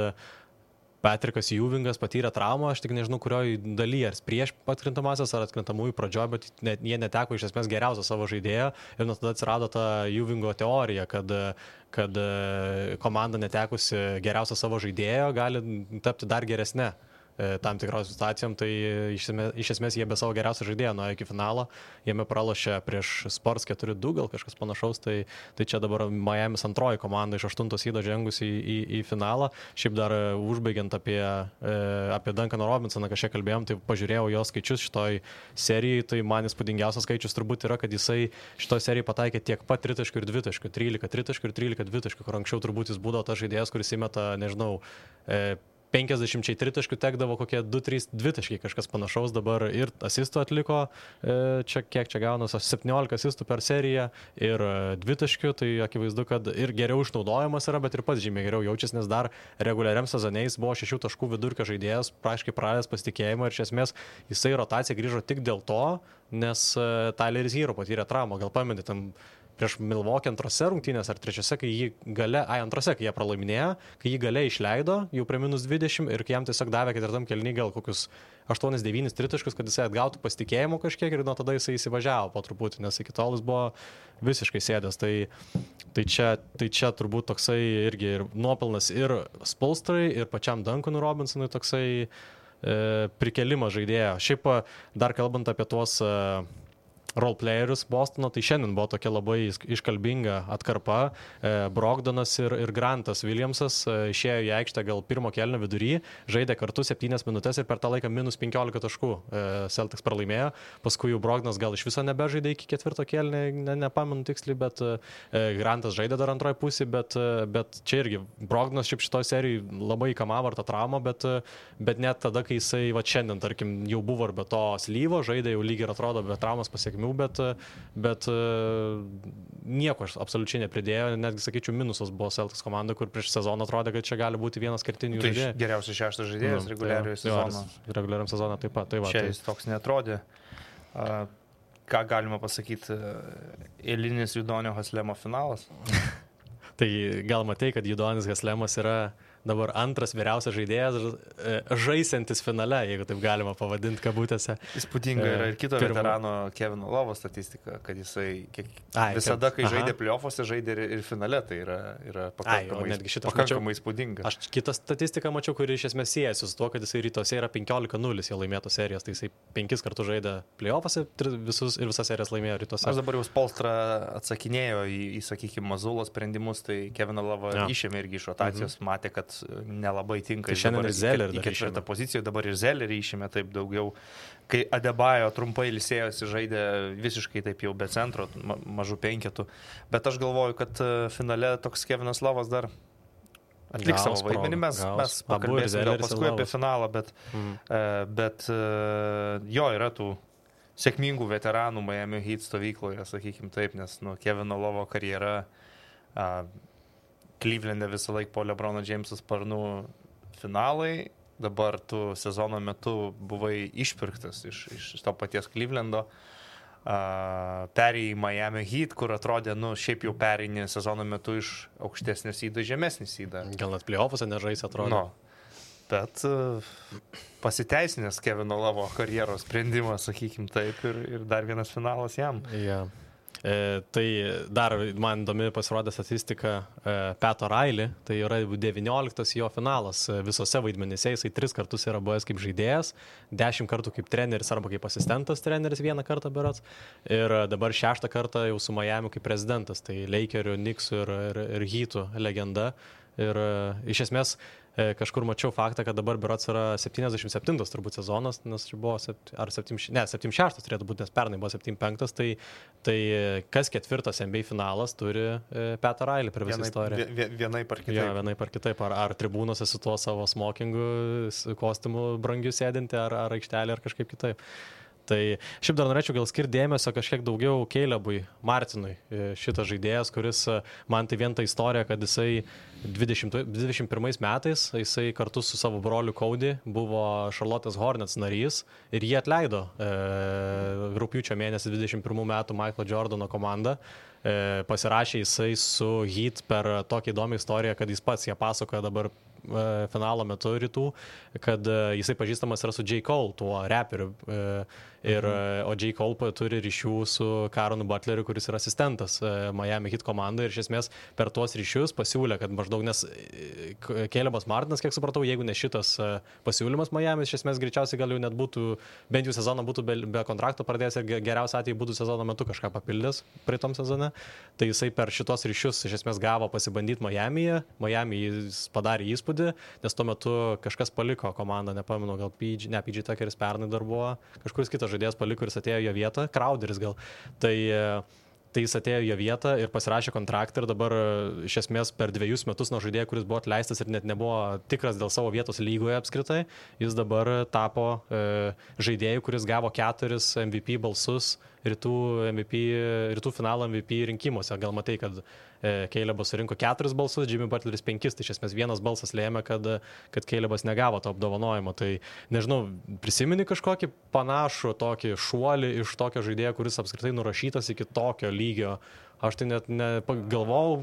Speaker 3: Patrikas Ewingas patyrė traumą, aš tik nežinau, kurioje dalyje, ar prieš atkrintamasias, ar atkrintamųjų pradžioje, bet jie neteko iš esmės geriausią savo žaidėją ir nuo tada atsirado ta Ewingo teorija, kad komanda netekusi geriausią savo žaidėjo gali tapti dar geresne tam tikros situacijom, tai iš esmės jie be savo geriausio žaidėjo nuėjo iki finalo, jame pralošė prieš Spurs 4-2, gal kažkas panašaus, tai čia dabar Miami's antroji komanda iš 8 seedo žengusi į finalą. Šiaip dar užbaigiant apie Duncaną Robinsoną, kažkiek kalbėjom, tai pažiūrėjau jo skaičius šitoj serijai, tai man įspūdingiausias skaičius turbūt yra, kad jisai šitoj serijai pataikė tiek pat tritaškių ir dvitaškių, 13 tritaškių ir 13 dvitaškių, kur anksčiau turbūt jis būdavo tas žaidėjas, kuris įmeta, nežinau, 50 tritaškių tekdavo kokie 2-3 dvitaškiai, kažkas panašaus, dabar ir asistų atliko, kiek čia gaunas, 17 asistų per seriją ir dvitaškių, tai akivaizdu, kad ir geriau išnaudojamas yra, bet ir pats žymiai geriau jaučiasi, nes dar reguliariam sezoniais buvo 6 taškų vidurkio žaidėjas, praškai praradęs pasitikėjimą ir iš esmės jisai rotacija grįžo tik dėl to, nes Tyleris Hero patyrė traumą, gal pamenate, tam prieš Milwaukee antrose rungtynės ar trečiose, kai jie pralaiminėjo, kai jį gale išleido, jau prie -20 ir kai jam tiesiog davė ketvirtam kėliny gal kokius 8-9 tritaškus, kad jisai atgautų pasitikėjimo kažkiek ir nuo tada jisai įsivažiavo po truputį, nes iki tol jis buvo visiškai sėdęs. Tai čia turbūt toksai irgi ir nuopelnas ir Spolstrai, ir pačiam Duncanui Robinsonui toksai prikelimas žaidėjo. Šiaip dar kalbant apie tuos roleplayerius Bostono, tai šiandien buvo tokia labai iškalbinga atkarpa. Brogdonas ir Grantas Williamsas išėjo į aikštę gal pirmo kėlinio vidury, žaidė kartu 7 minutės ir per tą laiką -15 taškų Celtics pralaimėjo. Paskui jau Brogdonas gal iš viso nebežaidė iki 4 kėlinio, nepamenu tiksliai, bet Grantas žaidė dar antroje pusėje, bet čia irgi Brogdonas šiaip šitoj serijai labai kamavo tą traumą, bet net tada, kai jisai šiandien, tarkim, jau buvo ir be to slyvo, žaidė jau lygiai ir atrodo be traumos pasiekmių, bet nieko absoliučiai nepridėjo, netgi sakyčiau minusas buvo Celtics komanda, kur prieš sezoną atrodė, kad čia gali būti vienas kertinių žaidėjų.
Speaker 4: Geriausias 6 žaidėjas reguliariojo sezono.
Speaker 3: Reguliariam sezoną taip pat.
Speaker 4: Čia jis toks netrodė. Ką galima pasakyti, eilinis Judonio Haslemo finalas?
Speaker 3: Tai gal matai, kad Judonis Haslemas yra dabar antras vyriausias žaidėjas žaisiantis finale, jeigu taip galima pavadinti kabutėse.
Speaker 4: Įspūdinga yra ir kito veterano Kevino Lovo statistika, kad jisai visada, kai žaidė playoffuose, žaidė ir finale, tai yra pakankamai įspūdinga.
Speaker 3: Aš kitą statistiką mačiau, kuri iš esmės siejasi su tuo, kad jisai rytuose yra 15-0 jau laimėtų serijas, tai jisai 5 kartus žaidė playoffuose ir visas serijas laimėjo rytuose.
Speaker 4: Aš dabar jau Spolstra atsakinėjo į sakykime, Mazulo sprendimus, tai Keviną Lovą išėmė irgi iš rotacijos, matė, kad nelabai tinka.
Speaker 3: Tai šiandien ir Zellerį
Speaker 4: į ketvirtą poziciją, dabar ir Zellerį išėmė taip daugiau. Kai Adebayo trumpai ilsėjosi, žaidė visiškai taip jau be centro, mažų penketų. Bet aš galvoju, kad finale toks Kevinas Lovas dar atliks savo vaidmenį. Mes pakalbėsime gal paskui apie finalą, bet jo yra tų sėkmingų veteranų Miami Heat stovykloje, sakykime taip, nes Kevino Lovo karjera Cleveland'e visą laiką po LeBrono Jameso sparnų finalai, dabar tu sezono metu buvai išpirktas iš to paties Cleveland'o, perėjai į Miami Heat, kur atrodė, šiaip jau perėjai sezono metu iš aukštesnės įdą, žemesnės įdą.
Speaker 3: Gal net playoffuose nežais atrodo.
Speaker 4: Bet pasiteisinęs Kevino Lovo karjeros sprendimas, sakykime taip, ir dar vienas finalas jam.
Speaker 3: Yeah. Tai dar man įdomi pasirodė statistika Pat O'Reilly, tai yra 19 jo finalas visose vaidmenyse, jisai 3 kartus yra buvęs kaip žaidėjas, 10 kartų kaip treneris arba kaip asistentas treneris 1 kartą berods, ir dabar 6 kartą jau su Miami kaip prezidentas, tai Lakerių, Knicksų ir Heatų legenda. Ir iš esmės kažkur mačiau faktą, kad dabar berods yra 77 turbūt sezonas, nes čia buvo 76 turėtų būti, nes pernai buvo 75, tai kas ketvirtas NBA finalas turi Pat O'Reilly per visą istoriją.
Speaker 4: Vienaip ar kitaip.
Speaker 3: Ja, vienaip ar kitaip. Ar tribūnose su tuo savo smokingu, kostiumu brangiu sėdinti, ar aikštelė, ar kažkaip kitaip. Tai šiaip dar norėčiau gal skirti dėmesio kažkiek daugiau Calebui Martinui, šitas žaidėjas, kuris man tai vien ta istorija, kad jisai 21 metais, jisai kartu su savo broliu Cody buvo Charlotte's Hornets narys ir jį atleido rugpjūčio mėnesį 21 metų Michaelo Jordano komandą. Pasirašė jisai su Heat per tokią įdomią istoriją, kad jis pats ją pasakoja dabar finalo metu rytų, kad jisai pažįstamas yra su J. Cole, tuo raperiu. O J. Cole turi ryšių su Caronu Butleriu, kuris yra asistentas Miami Heat komandai, ir iš esmės per tuos ryšius pasiūlė, kad maždaug, nes Calebas Martinas, kiek supratau, jeigu ne šitas pasiūlymas Miami, iš esmės greičiausiai gal jau net būtų, bent jau sezoną būtų be kontrakto pradėjęs ir geriausia atveju būtų sezono metu kažką papildęs praeitom sezone. Tai jisai per šitos ryšius iš esmės gavo pasibandyti Miami'e. Miami jis padarė įspūdį, nes tuo metu kažkas paliko komandą, nepamenu, gal PG Tuckeris pernai dar buvo, kažkuris kitas žaidėjas paliko ir jis atėjo jo vietą, Crowderis gal. Tai jis atėjo jo vietą ir pasirašė kontraktą ir dabar iš esmės per 2 metus nuo žaidėjo, kuris buvo atleistas ir net nebuvo tikras dėl savo vietos lygoje apskritai, jis dabar tapo žaidėjų, kuris gavo 4 MVP balsus rytų finalo MVP rinkimuose. Gal matai, kad Calebas surinko 4 balsus, Jimmy Butleris 5, tai iš esmės vienas balsas lėmė, kad Calebas negavo to apdovanojimo. Tai nežinau, prisimeni kažkokį panašų tokį šuolį iš tokio žaidėjo, kuris apskritai nurašytas iki tokio lygio. Aš tai net negalvojau,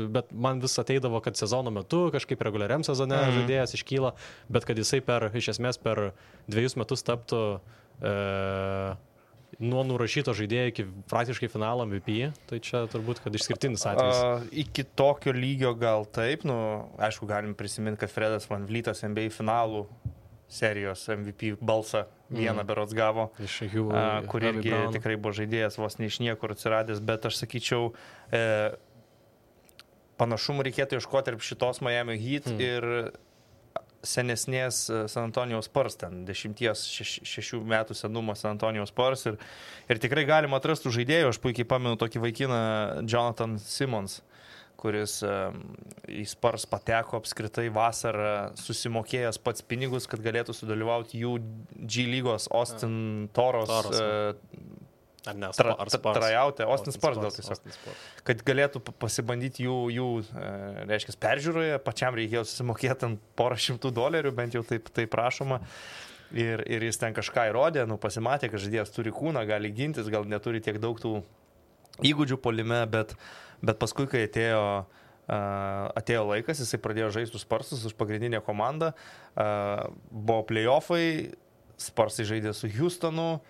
Speaker 3: bet man vis ateidavo, kad sezono metu, kažkaip reguliariam sezone žaidėjas iškyla, bet kad jisai iš esmės per 2 metus taptų nuo nurašyto žaidėjo iki praktiškai finalo MVP, tai čia turbūt, kad išskirtinis atvejis.
Speaker 4: Iki tokio lygio gal taip, aišku, galim prisiminti, kad Fredas Van Vlytas NBA finalų serijos MVP balsą vieną berods gavo, kur irgi tikrai buvo žaidėjas vos ne iš niekur atsiradęs, bet aš sakyčiau, panašumų reikėtų ieškoti ir šitos Miami Heat ir senesnės San Antonijos Spurs, ten 10-6 metų senumo San Antonijos Spurs ir tikrai galima atrastų žaidėjų. Aš puikiai pamenu tokį vaikiną Jonathan Simmons, kuris į Spurs pateko apskritai vasarą, susimokėjęs pats pinigus, kad galėtų sudalyvauti jų G lygos Austin Toros trajautė, Austin Spurs gal tiesiog, kad galėtų pasibandyti jų reiškia, peržiūroje, pačiam reikėjo susimokėti ant $100, bent jau taip prašoma, ir jis ten kažką įrodė, pasimatė, kad žaidėjas turi kūną, gali gintis, gal neturi tiek daug tų įgūdžių puolime, bet paskui, kai atėjo atėjo laikas, jisai pradėjo žaisti Sparsus už pagrindinę komandą, buvo playoffai, Sparsai žaidė su Houstonu,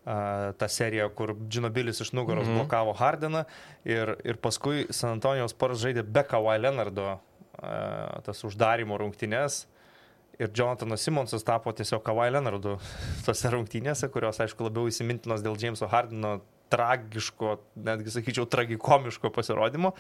Speaker 4: ta serija, kur Džinobilis iš nugaros blokavo Hardeną ir paskui San Antonijos Spurs žaidė be Kawhi Leonardo tas uždarimo rungtynes ir Jonathanas Simonsas tapo tiesiog Kawhi Leonardu tose rungtynėse, kurios, aišku, labiau įsimintinos dėl Jameso Hardeno tragiško, netgi sakyčiau, tragikomiško pasirodymo.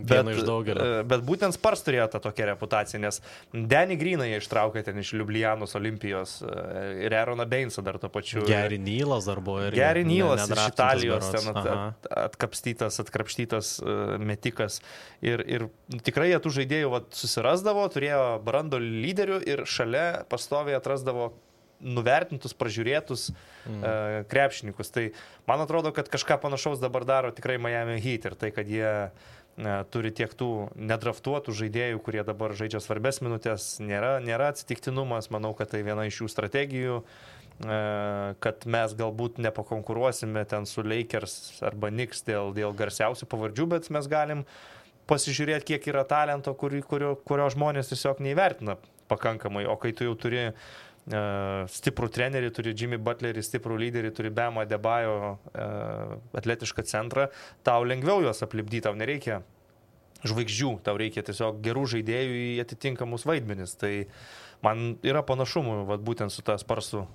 Speaker 3: Viena iš daugelio.
Speaker 4: Bet būtent Spurs turėjo tą tokią reputaciją, nes Danny Greeną jie ištraukė ten iš Liublianos Olimpijos ir Aaroną Bainesą dar to pačiu.
Speaker 3: Gary Nealas dar buvo.
Speaker 4: Gary Nealas iš Italijos ten atkrapštytas metikas. Ir tikrai jie tų žaidėjų susirasdavo, turėjo brandolį lyderių ir šalia pastoviai atrasdavo nuvertintus, pražiūrėtus krepšininkus. Tai man atrodo, kad kažką panašaus dabar daro tikrai Miami Heat ir tai, kad jie turi tiek tų nedraftuotų žaidėjų, kurie dabar žaidžia svarbes minutės, nėra atsitiktinumas. Manau, kad tai viena iš jų strategijų, kad mes galbūt nepakonkuruosime ten su Lakers arba Knicks dėl garsiausių pavardžių, bet mes galim pasižiūrėti, kiek yra talento, kurio žmonės tiesiog neįvertina pakankamai. O kai tu jau turi stiprų trenerį, turi Jimmy Butlerį, stiprų lyderį, turi Bamą Adebayo, atletišką centrą, tau lengviau juos aplipdyti, tau nereikia žvaigždžių, tau reikia tiesiog gerų žaidėjų į atitinkamus vaidmenis. Tai man yra panašumų būtent su ta Sparsų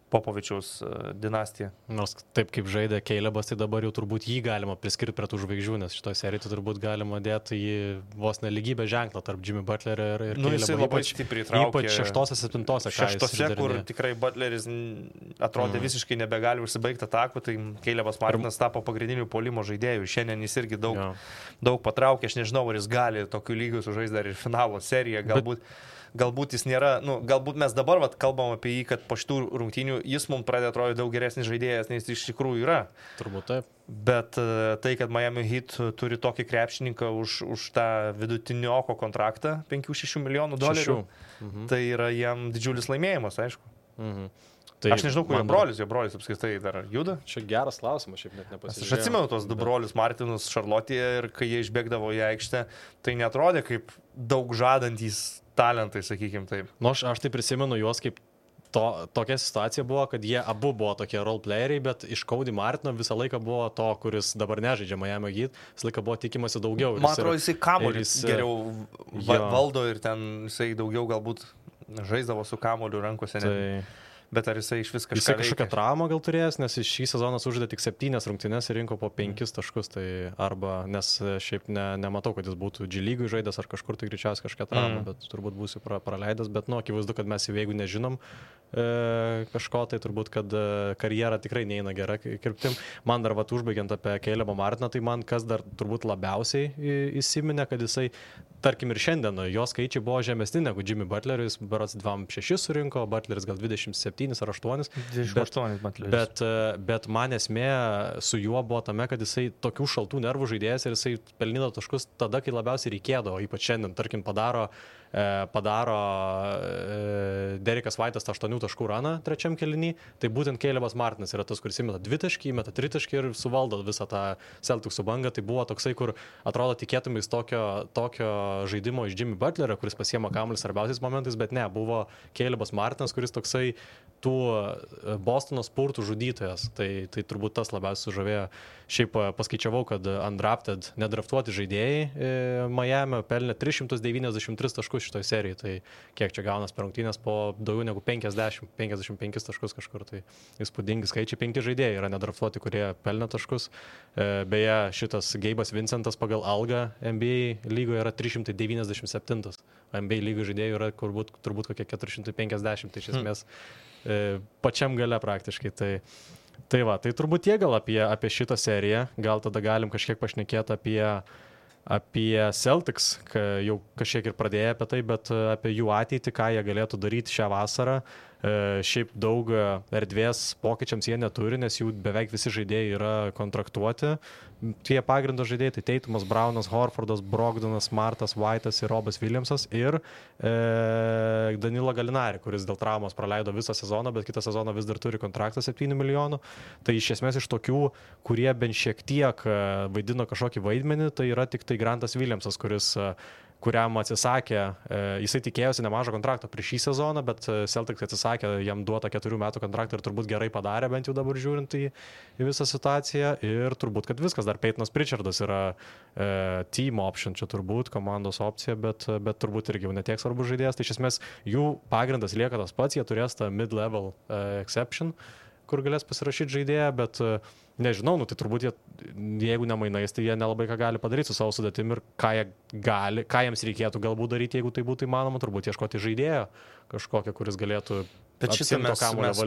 Speaker 4: Popovičiaus dinastija.
Speaker 3: Nors taip kaip žaidė Calebas, tai dabar jau turbūt jį galima priskirti prie tų žvaigždžių, nes šitoje serijoje turbūt galima dėti jį vos nelygybę ženklą tarp Jimmy Butlerio ir Calebo.
Speaker 4: Jisai labai stipriai traukė.
Speaker 3: Ypač 6-7.
Speaker 4: Šeštose, kur tikrai Butleris atrodė visiškai nebegali užsibaigti atakų, tai Calebas Martinas tapo pagrindiniu puolimo žaidėjų. Šiandien jis irgi daug patraukė, aš nežinau, ar jis gali tokiu lygiu sužaisti dar ir finalo seriją, galbūt jis nėra, galbūt mes dabar kalbam apie jį, kad po šitų rungtynių jis mums pradėjo atrodyti daug geresnis žaidėjas, nei jis iš tikrųjų yra.
Speaker 3: Turbūt taip.
Speaker 4: Bet tai, kad Miami Heat turi tokį krepšininką už tą vidutinioko kontraktą, 5-6 milijonų $, tai yra jam didžiulis laimėjimas, aišku. Tai aš nežinau, kur jo brolis apskritai dar juda.
Speaker 3: Čia geras klausimas, šiaip net nepasižiūrėjau.
Speaker 4: Aš atsimenu tos du brolius Martinus Šarlotėje ir kai jie išbėgdavo į aikštę, tai netrodė kaip daug žadantys talentai, sakykim taip.
Speaker 3: Aš tai prisimenu juos kaip tokia situacija buvo, kad jie abu buvo tokie roleplayeriai, bet iš Cody Martino visą laiką buvo to, kuris dabar nežaidžia Miami Heat, visą laiką buvo tikimasi daugiau.
Speaker 4: Man atrodo, jisai kamuolį geriau valdo ir ten jisai daugiau galbūt žaisdavo su kamuoliu rankose. Bet ar jisai iš vis kažką
Speaker 3: veikia? Jisai kažkokią traumą gal turėjęs, nes šį sezoną sužaidė tik 7 rungtynes ir rinko po 5 taškus, tai arba, nes šiaip nematau, kad jis būtų G lygui žaidęs ar kažkur, tai greičiausiai kažkokią traumą, bet turbūt būsiu praleidęs, bet akivaizdu, kad mes jeigu nežinom kažko, tai turbūt, kad karjera tikrai neina gera kryptim. Man dar užbaigiant apie Calebą Martiną, tai man kas dar turbūt labiausiai įsiminė, kad jisai, tarkim ir šiandien, jo skaičiai buvo žemesni negu Jimmy Butleris, berods 26 surinko, Butleris gal 27 ar 8.
Speaker 4: 28 Butleris.
Speaker 3: Bet man esmė su juo buvo tame, kad jisai tokių šaltų nervų žaidėjas ir jisai pelnydavo taškus tada, kai labiausiai reikėdavo, ypač šiandien, tarkim, padaro Derekas White'as 8 taškų raną trečiam kėliny, tai būtent Calebas Martinas yra tas, kuris įmeta 2 taškį, įmeta 3 taškį ir suvaldo visą tą Celticsų bangą. Tai buvo toksai, kur atrodo tikėtumais tokio žaidimo iš Jimmy Butlerio, kuris pasiema kamuolį svarbiausiais momentais, bet ne, buvo Calebas Martinas, kuris toksai tų Bostono spurtų žudytojas. Tai turbūt tas labiausiai sužavėjo. Šiaip paskaičiavau, kad undrafted, nedraftuoti žaidėjai Miami pelnė 393 taškus šitoj serijai. Tai kiek čia gaunas per rungtynes po daugiau negu 55 taškus kažkur. Tai įspūdingi skaičiai. 5 žaidėjai yra nedraftuoti, kurie pelnė taškus. Beje, šitas Gabe'as Vincentas pagal algą NBA lygoje yra 397. NBA lygų žaidėjų yra turbūt kokie 450. Tai iš esmės pačiam gale praktiškai. Tai va, tai turbūt tiek gal apie šitą seriją. Gal tada galim kažkiek pašnekėti apie Celtics, jau kažkiek ir pradėjo apie tai, bet apie jų ateitį, ką jie galėtų daryti šią vasarą. Šiaip daug erdvės pokyčiams jie neturi, nes jų beveik visi žaidėjai yra kontraktuoti. Tie pagrindo žaidėjai, tai Teitumas, Braunas, Horfordas, Brogdonas, Smartas, White'as ir Robas Williamsas ir Danilo Galinari, kuris dėl traumos praleido visą sezoną, bet kitą sezoną vis dar turi kontraktą 7 milijonų. Tai iš esmės iš tokių, kurie bent šiek tiek vaidino kažkokį vaidmenį, tai yra tik tai Grantas Williamsas, kuriam atsisakė, jisai tikėjosi nemažą kontraktą prieš šį sezoną, bet Celtics atsisakė jam duotą 4 metų kontraktą ir turbūt gerai padarė, bent jau dabar žiūrint į visą situaciją. Ir turbūt, kad viskas, dar Peytonas Pritchardas yra team option, čia turbūt komandos opcija, bet turbūt irgi jau netiek svarbus žaidėjas. Tai iš esmės jų pagrindas lieka tas pats, jie turės tą mid-level exception, kur galės pasirašyti žaidėją, bet nežinau, tai turbūt jeigu nemainais, tai jie nelabai ką gali padaryti su savo sudėtim ir ką jiems reikėtų galbūt daryti, jeigu tai būtų įmanoma, turbūt ieškoti žaidėjo kažkokią, kuris galėtų.
Speaker 4: Bet šitą mes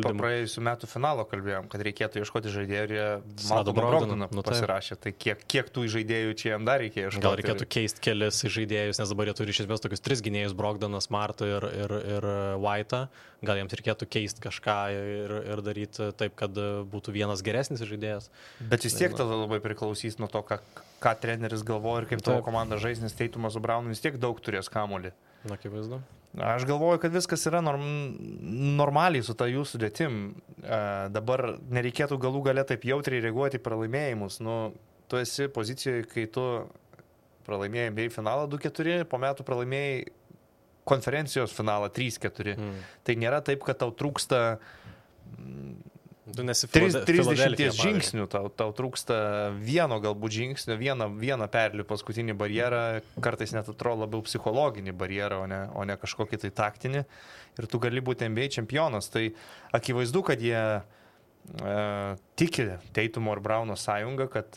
Speaker 4: po praėjusių metų finalo kalbėjom, kad reikėtų ieškoti žaidėjų ir jie Malcolm Brogdoną pasirašė. Tai kiek tų žaidėjų čia jam dar reikėjo ieškoti?
Speaker 3: Gal reikėtų keisti kelis žaidėjus, nes dabar jie turi iš esmės tokius 3 gynėjus, Brogdoną, Smartą ir White'ą. Gal jiems reikėtų keisti kažką ir daryti taip, kad būtų vienas geresnis žaidėjas.
Speaker 4: Bet vis tiek tada labai priklausys nuo to, ką treneris galvoja ir kaip tavo komanda žais, nes Teitumas su Braunu vis tiek daug turės kamuolį.
Speaker 3: Na, akivaizdu.
Speaker 4: Aš galvoju, kad viskas yra normaliai su ta jų sudėtim. Dabar nereikėtų galų gale taip jautriai reaguoti į pralaimėjimus. Tu esi pozicijoje, kai tu pralaimėjai NBA finalą 2-4, po metų pralaimėjai konferencijos finalą 3-4. Tai nėra taip, kad tau trūksta 30 žingsnių, tau trūksta vieno galbūt žingsnio, vieną perlių paskutinį barjerą, kartais net atrodo labiau psichologinį barjerą, o ne kažkokį tai taktinį. Ir tu gali būti NBA čempionas. Tai akivaizdu, kad jie tiki Teitumo ir Brauno sąjungą, kad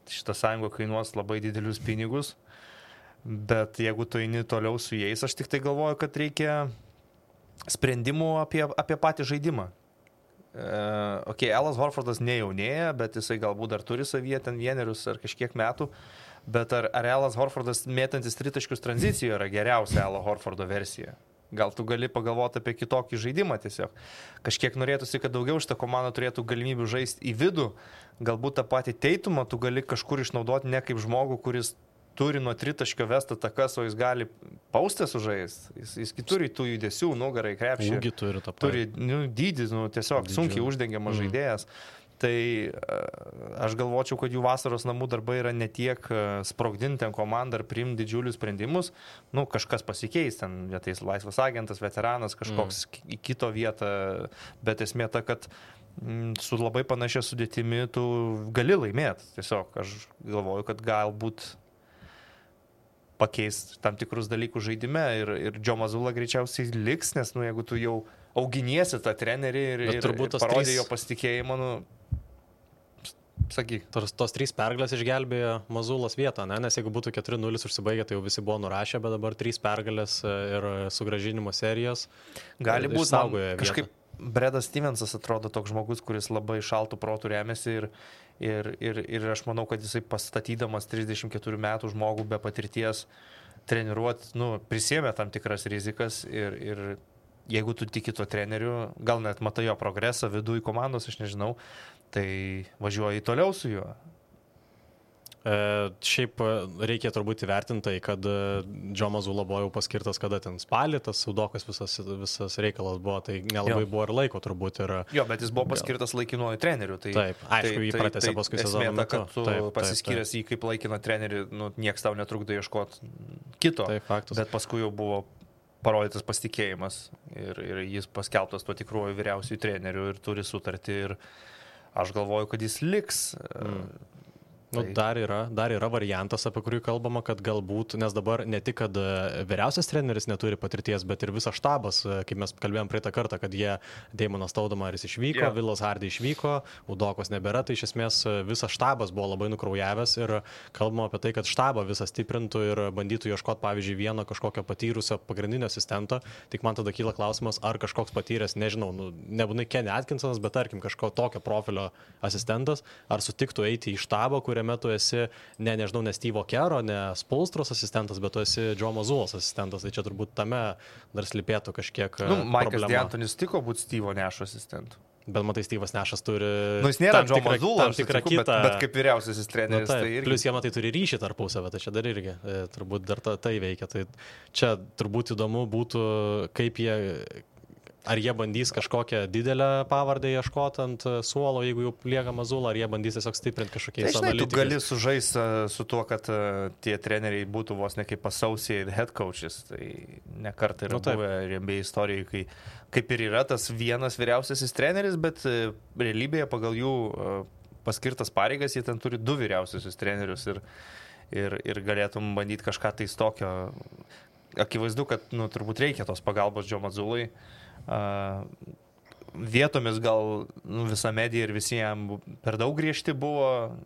Speaker 4: šita sąjunga kainuos labai didelius pinigus. Bet jeigu tu eini toliau su jais, aš tik tai galvoju, kad reikia sprendimų apie patį žaidimą. Alas Horfordas nejaunėja, bet jisai galbūt dar turi savyje ten 1 ar kažkiek metų, bet ar Alas Horfordas mėtantis tritaškius tranzicijoje yra geriausia Alo Horfordo versija? Gal tu gali pagalvoti apie kitokį žaidimą tiesiog. Kažkiek norėtųsi, kad daugiau šitą komandą turėtų galimybių žaisti į vidų, galbūt tą patį Teitumą tu gali kažkur išnaudoti ne kaip žmogų, kuris turi nuo tritaškio vestą takas, o jis gali paustę sužaisti. Jis turi tų judesių, nugarai, krepšį.
Speaker 3: Ūgį turi tą patį.
Speaker 4: Turi dydį, tiesiog sunkiai uždengiamas žaidėjas. Tai aš galvočiau, kad jų vasaros namų darbai yra ne tiek sprogdinti ten komandą ar priimti didžiulius sprendimus. Kažkas pasikeis, ten ateis laisvas agentas, veteranas, kažkoks į kito vietą, bet esmė ta, kad su labai panašia sudėtimi tu gali laimėti. Tiesiog aš galvoju, kad galbūt pakeis tam tikrus dalykus žaidime ir Joe Mazzulla greičiausiai liks, nes jeigu tu jau auginiesi tą trenerį ir parodė jo pasitikėjimą, sakyk.
Speaker 3: Tos 3 pergalės išgelbėjo Mazzulos vietą, nes jeigu būtų 4-0 užsibaigę, tai jau visi buvo nurašę, bet dabar 3 pergalės ir sugrąžinimo serijos
Speaker 4: gali būti kažkaip. Bredas Stevensas atrodo toks žmogus, kuris labai šaltų protų remiasi ir aš manau, kad jisai pastatydamas 34 metų žmogų be patirties treniruoti, prisėmė tam tikras rizikas ir jeigu tu tiki tuo treneriu, gal net matai jo progresą viduje komandos, aš nežinau, tai važiuoji toliau su juo.
Speaker 3: Šiaip reikia turbūt įvertinti, kad Joe Mazzulla buvo jau paskirtas, kada ten spalį, tas Udokas visas reikalas buvo, tai nelabai buvo ir laiko turbūt.
Speaker 4: Jo, bet jis buvo paskirtas laikinuoju treneriu.
Speaker 3: Taip, aišku, jį pratęsė paskui sezoną metu.
Speaker 4: Kad tu pasiskyręs jį kaip laikiną trenerių, nieks tau netrukdo ieškoti kito.
Speaker 3: Taip, faktas.
Speaker 4: Bet paskui jau buvo parodytas pasitikėjimas ir jis paskelbtas tuo tikruoju vyriausiųjų treneriu ir turi sutartį ir aš galvoju, kad jis liks.
Speaker 3: Dar yra variantas, apie kurį kalbama, kad galbūt, nes dabar ne tik, kad vyriausias treneris neturi patirties, bet ir visas štabas, kaip mes kalbėjom praeitą kartą, kad jie, Daimonas Stoudamaris išvyko, Vilas Hardy išvyko, Udokos nebėra, tai iš esmės visas štabas buvo labai nukraujavęs ir kalbama apie tai, kad štabą visą stiprintų ir bandytų ieškoti, pavyzdžiui, vieno kažkokio patyrusio pagrindinio asistento, tik man tada kyla klausimas, ar kažkoks patyręs, nežinau, nebūtinai Kenny Atkinsonas, bet tarkim kažko tokio profilio asistentas, ar sutiktų eiti į štabą, kuriame kuriame tu esi nežinau, ne Steve'o Kero, ne Spolstros asistentas, bet tu esi Joe Mazzulos asistentas. Tai čia turbūt tame dar slypėtų kažkiek
Speaker 4: Maikas D'Antonis tiko būti Steve'o Nešo asistentu.
Speaker 3: Bet matai, Steve'as Nešas turi...
Speaker 4: Jis nėra Joe Mazzulas,
Speaker 3: tam tikrą kitą...
Speaker 4: bet kaip vyriausiasis treneris. Tai irgi...
Speaker 3: Plius jie matai turi ryšį tarpusavę, tai čia dar irgi turbūt dar tai veikia. Tai čia turbūt įdomu būtų, kaip jie... Ar jie bandys kažkokią didelę pavardę ieškoti ant suolo, jeigu jau lieka Mazzulo, ar jie bandys tiesiog stiprinti kažkokiais analitikais.
Speaker 4: Tu gali sužaisti su tuo, kad tie treneriai būtų vos ne kaip associate head coaches. Tai ne kartą yra buvę NBA istorijai, kai kaip ir yra tas vienas vyriausiasis treneris, bet realybėje pagal jų paskirtas pareigas jie ten turi 2 vyriausiasis trenerius ir galėtum bandyti kažką tais tokio. Akivaizdu, kad turbūt reikia tos pagalbos Joe Mazzulai. Vietomis gal visa medija ir visiems per daug griežti buvo,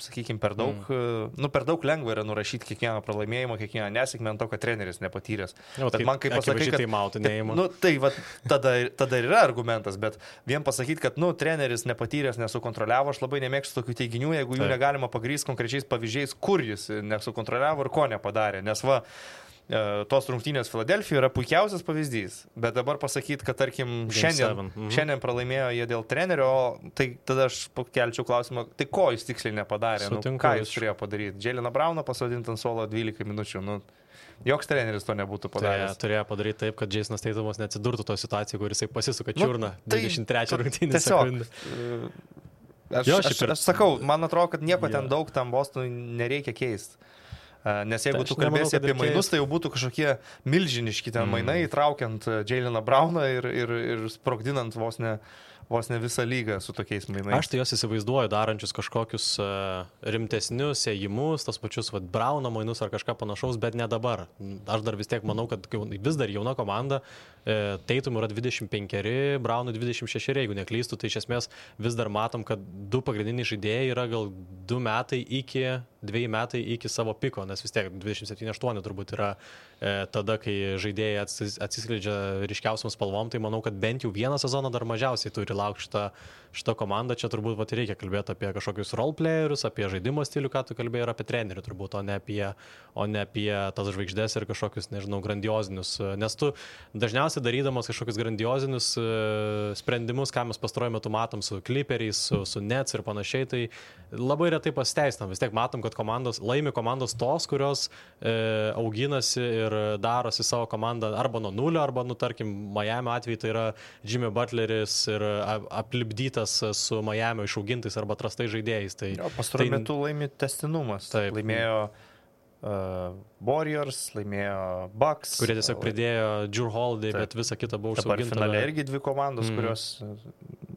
Speaker 4: sakykime, per daug lengva yra nurašyti kiekvieną pralaimėjimą, kiekvieną nesėkmę ant to, kad treneris nepatyręs.
Speaker 3: Bet man kaip pasakai, kad
Speaker 4: tai tada ir yra argumentas, bet vien pasakyti, kad treneris nepatyręs, nesukontroliavo, aš labai nemėgstu tokių teiginių, jeigu jų negalima pagrįsti konkrečiais pavyzdžiais, kur jis nesukontroliavo ir ko nepadarė, nes tos rungtynės Filadelfijoje yra puikiausias pavyzdys, bet dabar pasakyti, kad tarkim šiandien pralaimėjo jie dėl trenerio, tai tada aš kelčiau klausimą, tai ko jis tiksliai nepadarė, ką jis turėjo padaryti. Jayleną Browną pasodinti ant suolo 12 minučių, joks treneris to nebūtų padaręs.
Speaker 3: Turėjo padaryti taip, kad Jasonas Taitumas neatsidurtų to situaciją, kur jisai pasisuka čiurną 23 rungtynės sekundę.
Speaker 4: Aš sakau, man atrodo, kad nieko ten daug tam Bostonui nereikia keisti. Nes jeigu tu kalbėsi apie mainus, tai jau būtų kažkokie milžiniški ten mainai, įtraukiant Jayleną Browną ir sprogdinant vos ne visą lygą su tokiais mainais.
Speaker 3: Aš tai jos įsivaizduoju darančius kažkokius rimtesnius ėjimus, tos pačius Browno mainus ar kažką panašaus, bet ne dabar. Aš dar vis tiek manau, kad vis dar jauna komanda, Tatum yra 25, Brownui 26, jeigu neklystu, tai iš esmės vis dar matom, kad 2 pagrindiniai žaidėjai yra gal 2 metai iki savo piko, nes vis tiek 27-8 turbūt yra tada, kai žaidėjai atsiskleidžia ryškiausiam spalvom, tai manau, kad bent jau vieną sezoną dar mažiausiai turi laukti šitą komandą. Čia turbūt reikia kalbėti apie kažkokius roleplayerius, apie žaidimo stilių, ką tu kalbėjai, ir apie trenerių turbūt, o ne apie tas žvaigždės ir kažkokius, nežinau, grandiozinius. Nes tu dažniausiai darydamas kažkokius grandiozinius sprendimus, ką mes pastaruoju metu matom su Clipperiais, su Nets ir panašiai, tai labai retai pasiteisinam. Vis tiek matom, kad laimi komandos tos, kurios auginasi ir darosi savo komandą arba nuo nulio, arba, tarkim, Miami atveju tai yra Jimmy Butleris ir aplipdytas su Miami išaugintais arba atrastais žaidėjais.
Speaker 4: Pastaruoju metu laimi tęstinumas. Laimėjo Warriors, laimėjo Bucks,
Speaker 3: kurie tiesiog pridėjo Jrue Holiday, bet visa kita buvo užsiauginta.
Speaker 4: Dabar finale irgi 2 komandos, kurios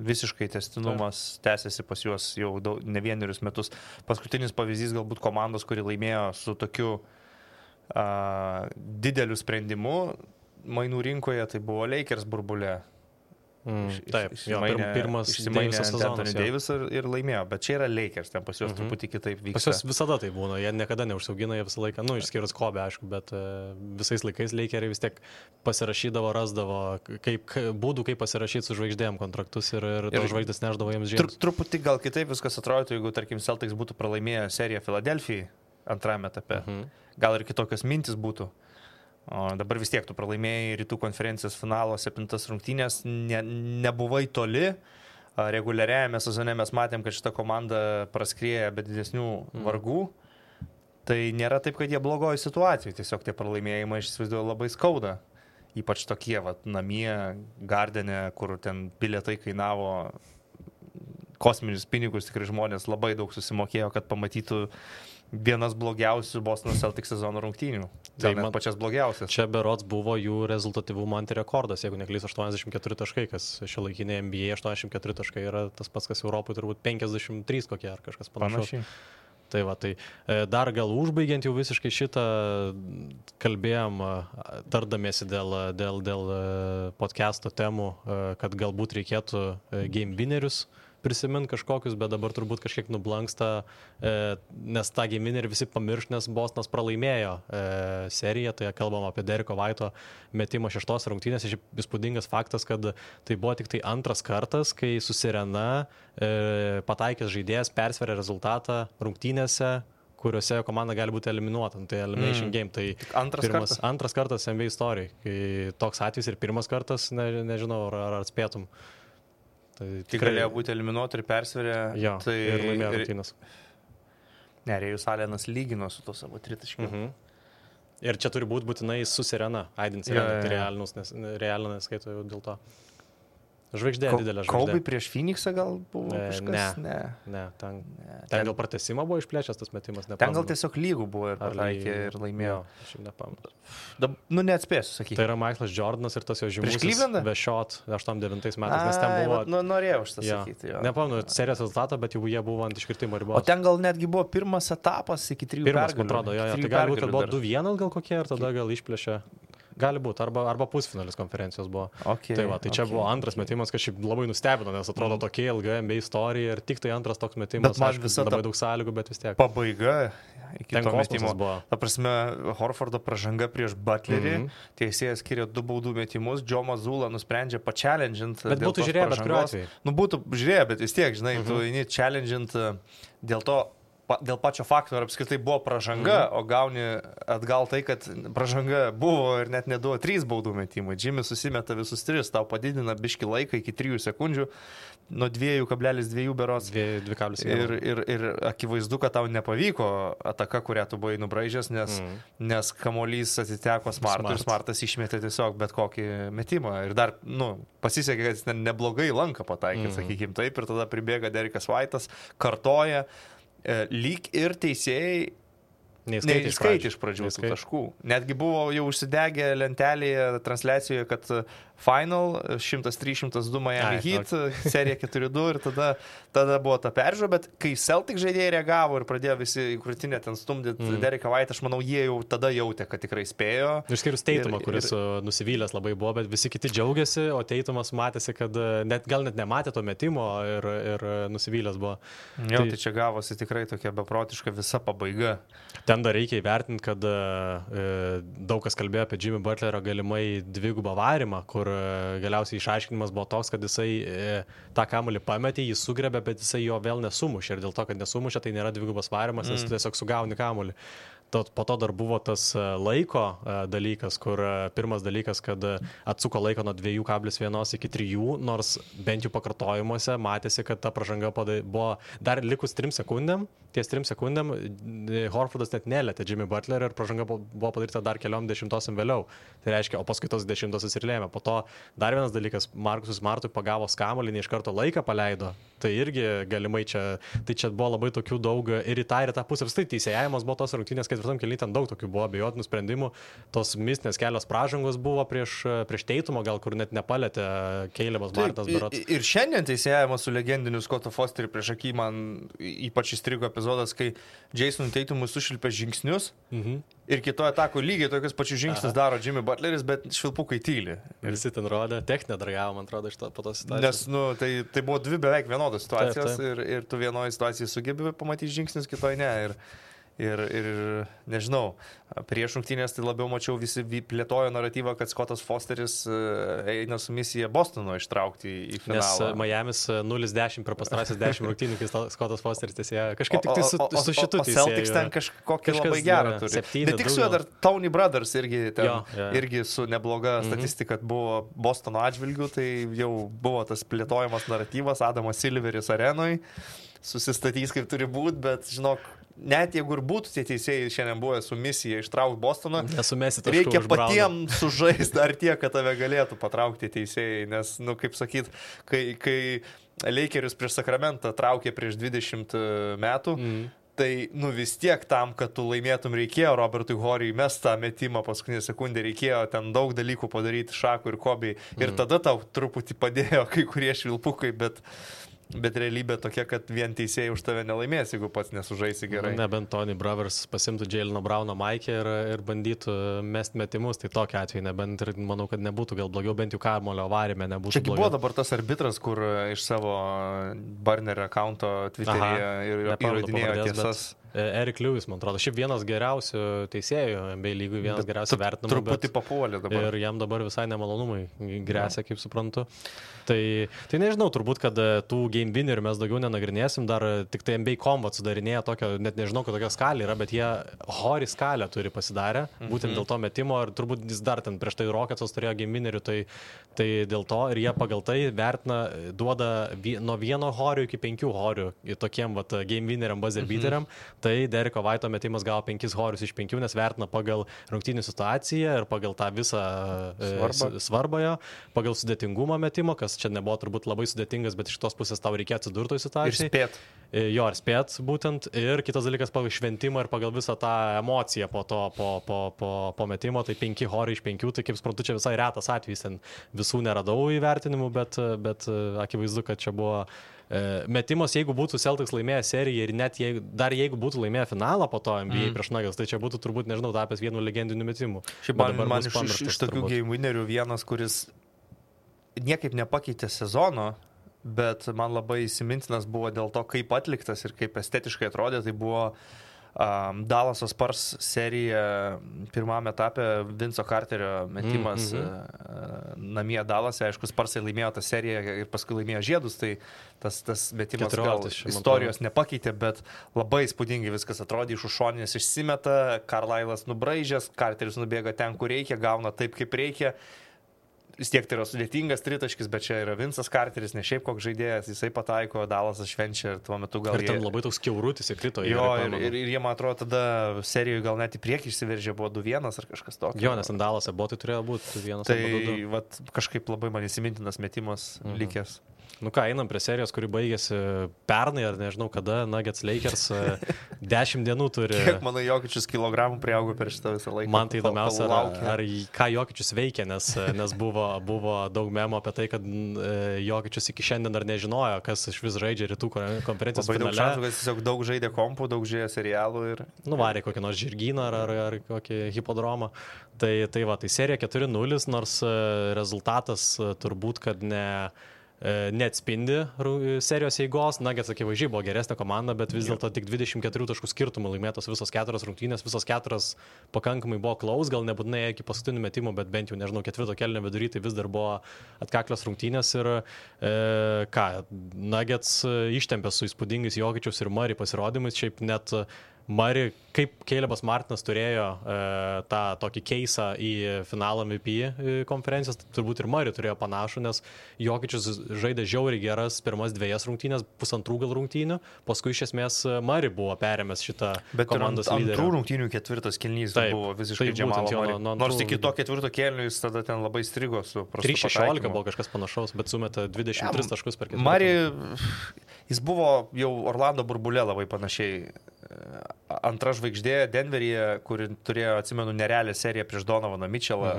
Speaker 4: visiškai tęstinumas tęsiasi pas juos jau ne 1 metus. Paskutinis pavyzdys galbūt komandos, kuri laimėjo su tokiu dideliu sprendimu mainų rinkoje, tai buvo Lakers burbulė.
Speaker 3: Taip, pirmas
Speaker 4: Anthony Davis ir laimėjo, bet čia yra Lakers, ten pas juos truputį kitaip vyksta.
Speaker 3: Pas juos visada tai būna, jie niekada neužsiaugina, jie visą laiką, išskyrus Kobe, aišku, bet visais laikais Lakeriai vis tiek pasirašydavo, rasdavo būdų, kaip pasirašyti su žvaigždėm kontraktus ir tos žvaigždės neždavo jiems žiems.
Speaker 4: Truputį gal kitaip viskas atrodytų, jeigu, tarkim, Celtics būtų pralaimėję seriją Filadelfijai antrame etape, gal ir kitokios mintis būtų. O dabar vis tiek tu pralaimėjai rytų konferencijos finalo 7 rungtynės, nebuvai toli. Reguliariajame sezone mes matėm, kad šita komanda praskrieja be didesnių vargų. Tai nėra taip, kad jie blogoji situacijai, tiesiog tie pralaimėjimai, aš įsivaizduoju, labai skauda. Ypač tokie, namie, Gardene, kur ten bilietai kainavo kosminius pinigus, tikrai žmonės labai daug susimokėjo, kad pamatytų vienas blogiausių Boston Celtics sezono rungtynių. Tai net pačias blogiausias.
Speaker 3: Čia berods buvo jų rezultatyvumo antirekordas, jeigu neklystu, 84 taškai, kas šiuolaikinėje NBA 84 taškai yra tas pats, kas Europoje turbūt 53 kokie ar kažkas panašaus. Tai dar gal užbaigiant jau visiškai šitą kalbėjom, tardamiesi dėl podcast'o temų, kad galbūt reikėtų game winnerius prisiminti kažkokius, bet dabar turbūt kažkiek nublanksta, nes tą geiminį ir visi pamirš, nes Bostonas pralaimėjo seriją, tai kalbam apie Deriko Vaito metimo 6 rungtynės. Įspūdingas faktas, kad tai buvo tik tai antras kartas, kai su Sirena pataikęs žaidėjas persveria rezultatą rungtynėse, kuriuose komanda gali būti eliminuota. Tai elimination game. Tai antras kartas NBA istorijai. Kai toks atvejis ir pirmas kartas, nežinau, ar atspėtum. Tai
Speaker 4: tikrai galėjo būti eliminuota ir persverė.
Speaker 3: Jo,
Speaker 4: tai
Speaker 3: ir laimėjo rungtynės.
Speaker 4: Ne, Rėjus Alenas lygino su to savo tritaškiu.
Speaker 3: Ir čia turi būti būtinai su Sirena. Aidint Sirena, tai realinų neskaito jau dėl to. Žvaigždė, didelė žvaigždė.
Speaker 4: Kobe prieš Phoenixą gal buvo kažkas?
Speaker 3: Ne. Ten dėl pratęsimo buvo išplėšęs tas metimas, nepamenu.
Speaker 4: Ten gal tiesiog lygų buvo ir pataikė ir laimėjo.
Speaker 3: Aš jau nepamenu.
Speaker 4: Neatspėsiu, sakyti.
Speaker 3: Tai yra Michaelas Jordanas ir tas jo žymusis Vešot 8-9 metais, nes ten buvo...
Speaker 4: Norėjau šitą sakyti.
Speaker 3: Nepamenu serijos rezultatą, bet jau jie buvo ant iškritimo ribos.
Speaker 4: O ten gal netgi buvo pirmas etapas iki 3 pergalių.
Speaker 3: Pirmas, man atrodo, tai gali būti, kad buvo 2-1 gal kokie ir tada gal išplėšė. Gali būti, arba pusfinalis konferencijos buvo. Tai čia buvo antras metimas, kas šiaip labai nustebino, nes atrodo tokia ilga NBA istorija ir tik tai antras toks metimas.
Speaker 4: Bet man visą
Speaker 3: labai daug sąlygų, bet vis tiek.
Speaker 4: Pabaiga iki
Speaker 3: to metimo
Speaker 4: buvo. Ta prasme, Horfordo pražanga prieš Butlerį, teisėjas skiria 2 baudų metimus, Joe Mazzulla nusprendžia pa-challenge'int.
Speaker 3: Bet būtų žiūrėję, bet kuriuo atveju.
Speaker 4: Būtų žiūrėję, bet vis tiek, žinai, tu eini challenge'int dėl pačio fakto, ar apskritai buvo pražanga, o gauni atgal tai, kad pražanga buvo ir net neduoda 3 baudų metimų. Jimmy susimeta visus 3, tau padidina biški laiką iki 3 sekundžių, nuo 2,2 berods.
Speaker 3: 2,1.
Speaker 4: Ir akivaizdu, kad tau nepavyko ataka, kurią tu buvai nubraižęs, nes kamuolys atiteko Smartui ir Smartas išmetė tiesiog bet kokį metimą. Ir dar, pasisekė, kad jis neblogai lanką pataikė, sakykim taip, ir tada pribėga Derikas Vaitas, kartoja. Lyg ir teisėjai neįskaitė iš pradžių tų taškų. Netgi buvo jau užsidegę lentelėje transliacijoje, kad final 103-102 Miami Heat, serija 4-2 ir tada buvo ta peržiūra, bet kai Celtic žaidėjai reagavo ir pradėjo visi į krūtinę ten stumdyti Deriką Vaitą, aš manau, jie jau tada jautė, kad tikrai spėjo.
Speaker 3: Išskyrus Teitumą, kuris nusivylęs labai buvo, bet visi kiti džiaugiasi, o Teitumas matėsi, kad gal net nematė to metimo ir nusivylęs buvo.
Speaker 4: Jo, tai čia gavosi tikrai tokia beprotiška visa pabaiga.
Speaker 3: Ten dar reikia įvertinti, kad daug kas kalbėjo apie Jimmy Butlerio galimai dvigubą varimą, kur galiausiai išaiškinimas buvo toks, kad jisai tą kamuolį pametė, jį sugrebė, bet jisai jo vėl nesumušė. Ir dėl to, kad nesumušė, tai nėra dvigubas varimas, nes tiesiog sugauni kamuolį. Po to dar buvo tas laiko dalykas, kur pirmas dalykas, kad atsuko laiko nuo 2,1 iki 3, nors bent jau pakartojimuose matėsi, kad ta pražanga buvo dar likus 3 sekundėm. Ties 3 sekundėm Horfordas net nelėtė Jimmy Butler ir pražanga buvo padaryta dar keliom dešimtosiam vėliau. Tai reiškia, o paskui tos dešimtosios ir lėmė. Po to dar vienas dalykas, Markusui Smartui pagavo kamuolį, ne iš karto laiką paleido. Tai irgi galimai čia buvo labai tokių daug ir į tą pusę. Vistai teisėjavimas buvo tos rungtynės 4 kėlinyje, ten daug tokių buvo abejotinų sprendimų. Tos mistinės kelios pražangos buvo prieš Teitumą, gal kur net nepalėtė Calebas Martinas berods.
Speaker 4: Ir šiandien teisėjavimas su legendiniu Scottu Fosteriu prieš akį man ypač įstrigo epizodas, kai Jasonui Teitumui sušilpė žingsnius ir kitoje atako lygiai tokius pačius žingsnius daro Jimmy Butleris, bet švilpukai tyli.
Speaker 3: Visi ten rodė, techninė dragavo, man atrodo, po tos situacijos.
Speaker 4: Nes tai buvo 2 beveik vienodos situacijos. Taip. Ir tu vienoje situacijoje sugebi pamatyti žingsnius, kitoje ne. Ir nežinau, prieš rungtynės tai labiau mačiau visi plėtojo naratyvą, kad Scottas Fosteris eina su misija Bostono ištraukti į finalą.
Speaker 3: Nes Miamis 0-10 per pastarąsias 10 rungtynių, kai Scottas Fosteris tiesėjo. Kažkaip tik tai su šitu teisėju.
Speaker 4: O Celtics ten kažkokį labai gerą turi. Bet tik su juo dar Tony Brothers irgi su nebloga statistika buvo Bostono atžvilgių, tai jau buvo tas plėtojamas naratyvas, Adamas Silveris arenoj, susistatys kaip turi būti, bet žinok, net jeigu ir būtų tie teisėjai šiandien buvę su misija ištraukti Bostoną, reikia patiems sužaisti dar tiek, kad tave galėtų patraukti teisėjai, nes, kaip sakyt, kai Lakerius prieš Sakramentą traukė prieš 20 metų, tai, vis tiek tam, kad tu laimėtum reikėjo Robertui Horiui mest tą metimą paskutinę sekundę, reikėjo ten daug dalykų padaryti Šakui ir Kobiai, ir tada tau truputį padėjo kai kurie švilpukai, bet Bet realybė tokia, kad vien teisėjai už tave nelaimės, jeigu pats nesužaisi gerai.
Speaker 3: Nebent Tony Brovers pasimtų Jaleno Browno maikę ir bandytų mest metimus, tai tokia atveju nebent ir manau, kad nebūtų gal blogiau, bent jau kamulio varime nebūtų
Speaker 4: blogiau. Čia buvo dabar tas arbitras, kur iš savo burner accounto Twitter'yje ir įrodinėjo tiesas.
Speaker 3: Eric Lewis, man atrodo, šiaip vienas geriausių teisėjų NBA lygų, vienas geriausių vertinimų.
Speaker 4: Truputį papuolė dabar.
Speaker 3: Ir jam dabar visai nemalonumai grėsia, kaip suprantu. Tai nežinau, turbūt, kad tų game winnerių mes daugiau nenagrinėsim, dar tik tai NBA Combat sudarinėja tokio, net nežinau, kad tokia skalė yra, bet jie hori skalę turi pasidarę, būtent dėl to metimo, ir turbūt jis dar ten prieš tai Rockets'as turėjo game winnerių, tai dėl to, ir jie pagal tai vertina, duoda nuo 1 horių iki 5 horių tokiem game winneriam, buzzer beateriam, tai Dereko Vaito metimas gavo 5 horius iš 5, nes vertina pagal rungtynių situaciją ir pagal tą visą svarbą, pagal sudėtingumą metimo, kas čia nebuvo turbūt labai sudėtingas, bet iš tos pusės tau reikia atsidurti toj situacijai.
Speaker 4: Ir spėt.
Speaker 3: Jo, ir spėt būtent. Ir kitas dalykas pagal šventimą ir pagal visą tą emociją po to, po metimo, tai 5 horai iš 5, tai kaip suprantu, čia visai retas atvejis, ten visų neradau įvertinimų, bet akivaizdu, kad čia buvo metimas, jeigu būtų Celtics laimėję seriją ir net jeigu būtų laimėję finalą po to NBA prieš Nuggets, tai čia būtų turbūt, nežinau, tapęs vienu legendiniu metimu.
Speaker 4: Šiaip man iš tokių game winnerių vienas, kuris niekaip nepakeitė sezono, bet man labai įsimintinas buvo dėl to, kaip atliktas ir kaip estetiškai atrodė, tai buvo Dallaso Spurs serija pirmame etape, Vinco Carterio metimas namie Dallase, aišku, Spursai laimėjo tą seriją ir paskui laimėjo žiedus, tai tas metimas gal istorijos nepakeitė, bet labai įspūdingai viskas atrodė, iš už šoninės išsimeta, Carlisle'as nubraižęs, Carteris nubėga ten, kur reikia, gauna taip, kaip reikia. Vis tiek tai yra sudėtingas tritaškis, bet čia yra Vincas Carteris, ne šiaip koks žaidėjas, jisai pataiko, Dallasas švenčia ir tuo metu gal...
Speaker 3: Ir ten labai toks kiaurutis įkrito.
Speaker 4: Jo, ir jie, man atrodo, tada serijoje gal net į priekį išsiveržė, buvo 2-1 ar kažkas tokio.
Speaker 3: Jo, nes ant Dallase buvo, tai turėjo būti 2-1.
Speaker 4: Tai vat, kažkaip labai man įsimintinas metimas likęs.
Speaker 3: Nu ką, einam prie serijos, kuri baigėsi pernai, ar nežinau kada, Nuggets Lakers 10 dienų turi.
Speaker 4: Kiek, manau, Jokičius kilogramų priaugo per šitą visą laiką.
Speaker 3: Man tai įdomiausia, ar ką Jokičius veikia, nes buvo daug memo apie tai, kad Jokičius iki šiandien dar nežinojo, kas iš vis žaidžia rytų konferencijos finale.
Speaker 4: Labai daug šansų, kad jis tiesiog daug žaidė kompų, daug žaidė serialų ir...
Speaker 3: Nuvarė kokį nors žirgyną ar kokį hipodromą. Tai serija 4-0, nors rezultatas turbūt, kad neatspindi serijos eigos. Nuggets akivaizdžiai buvo geresnė komanda, bet vis dėlto tik 24 taškų skirtumų laimėtos visos 4 rungtynės, visos 4 pakankamai buvo close, gal nebūtinai iki paskutinių metimų, bet bent jau, nežinau, 4 kėlinio vidury, tai vis dar buvo atkaklios rungtynės ir Nuggets ištempė su įspūdingais Jokičiaus ir Murray pasirodymais, šiaip net Murray, kaip Calebas Martinas turėjo tą tokį keisą į finalą MVP konferencijos, turbūt ir Murray turėjo panašų, nes Jokičius žaidė žiauriai geras pirmas 2 rungtynės, 1,5 gal rungtynių, paskui iš esmės Murray buvo perėmęs šitą komandos lyderį.
Speaker 4: Bet antrų rungtynių 4 kėlinys buvo visiškai Džamalo Murray. Nors iki to 4 kėlinio jis tada ten labai strigo su prastu pataikymu. 3-16
Speaker 3: buvo kažkas panašaus, bet sumetė 23 taškus per 4.
Speaker 4: Murray, jis buvo jau Orlando burbulė labai panašiai. Antra žvaigždė Denveryje, kuri turėjo, atsimenu, nerealią seriją prieš Donovaną Mitchellą,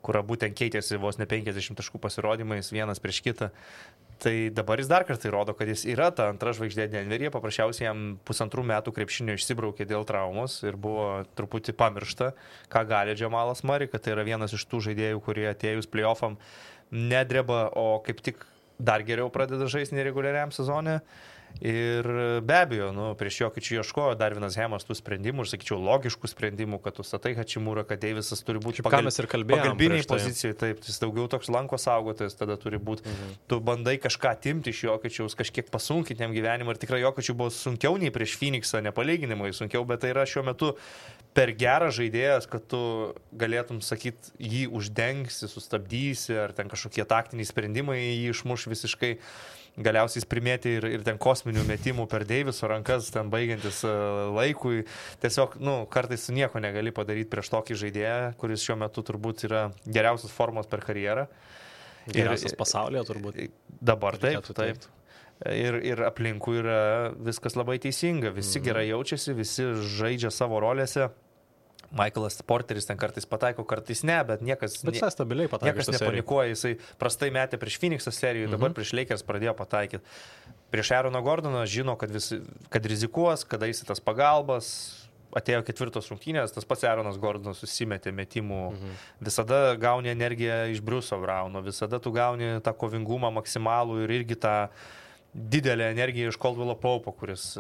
Speaker 4: kur būtent keitėsi vos ne 50 taškų pasirodymais vienas prieš kitą. Tai dabar jis dar kartą įrodo, kad jis yra ta antra žvaigždė Denveryje, paprasčiausiai jam 1,5 metų krepšinio išsibraukė dėl traumos ir buvo truputį pamiršta, ką gali Džamalas Murray, kad tai yra vienas iš tų žaidėjų, kurie atėjus playoffam nedreba, o kaip tik dar geriau pradeda žaisti nereguliariam sezone. Ir be abejo, prieš Jokičių ieškojo Darvinas Hamas tų sprendimų, ir sakyčiau, logiškų sprendimų, kad tu statai Hachimurą, kad Deivisas turi būti pagalbiniai pozicijai, taip, jis daugiau toks lanko saugotojas tada turi būti. Tu bandai kažką atimti iš Jokičiaus, kažkiek pasunkinti jam gyvenimą, ir tikrai Jokičių buvo sunkiau nei prieš Phoenixą, nepalyginimai sunkiau, bet tai yra šiuo metu per geras žaidėjas, kad tu galėtum sakyti, jį uždengsi, sustabdysi, ar ten kažkokie taktiniai sprendimai jį išmuš visiškai. Galiausiai primėti ir ten kosminių metimų per Deiviso rankas, ten baigiantis laikui. Tiesiog, kartais su nieko negali padaryti prieš tokį žaidėją, kuris šiuo metu turbūt yra geriausios formos per karjerą.
Speaker 3: Geriausias pasaulyje turbūt.
Speaker 4: Dabar taip. Ir aplinkui yra viskas labai teisinga. Visi gerai jaučiasi, visi žaidžia savo rolėse. Michaelas Porteris ten kartais pataiko, kartais ne, bet niekas...
Speaker 3: Bet jis stabiliai pataiko.
Speaker 4: Niekas nepanikuoja, jisai prastai metė prieš Phoenix'ą serijoje, dabar prieš Lakers pradėjo pataikyti. Prieš Aaroną Gordoną žino, kad rizikuos, kada jis tas pagalbas, atėjo 4 rungtynės, tas pats Aaronas Gordonas susimetė metimų, visada gauni energiją iš Bruce'o Browno, visada tu gauni tą kovingumą maksimalų ir irgi tą didelę energiją iš Caldwello Pope'o, kuris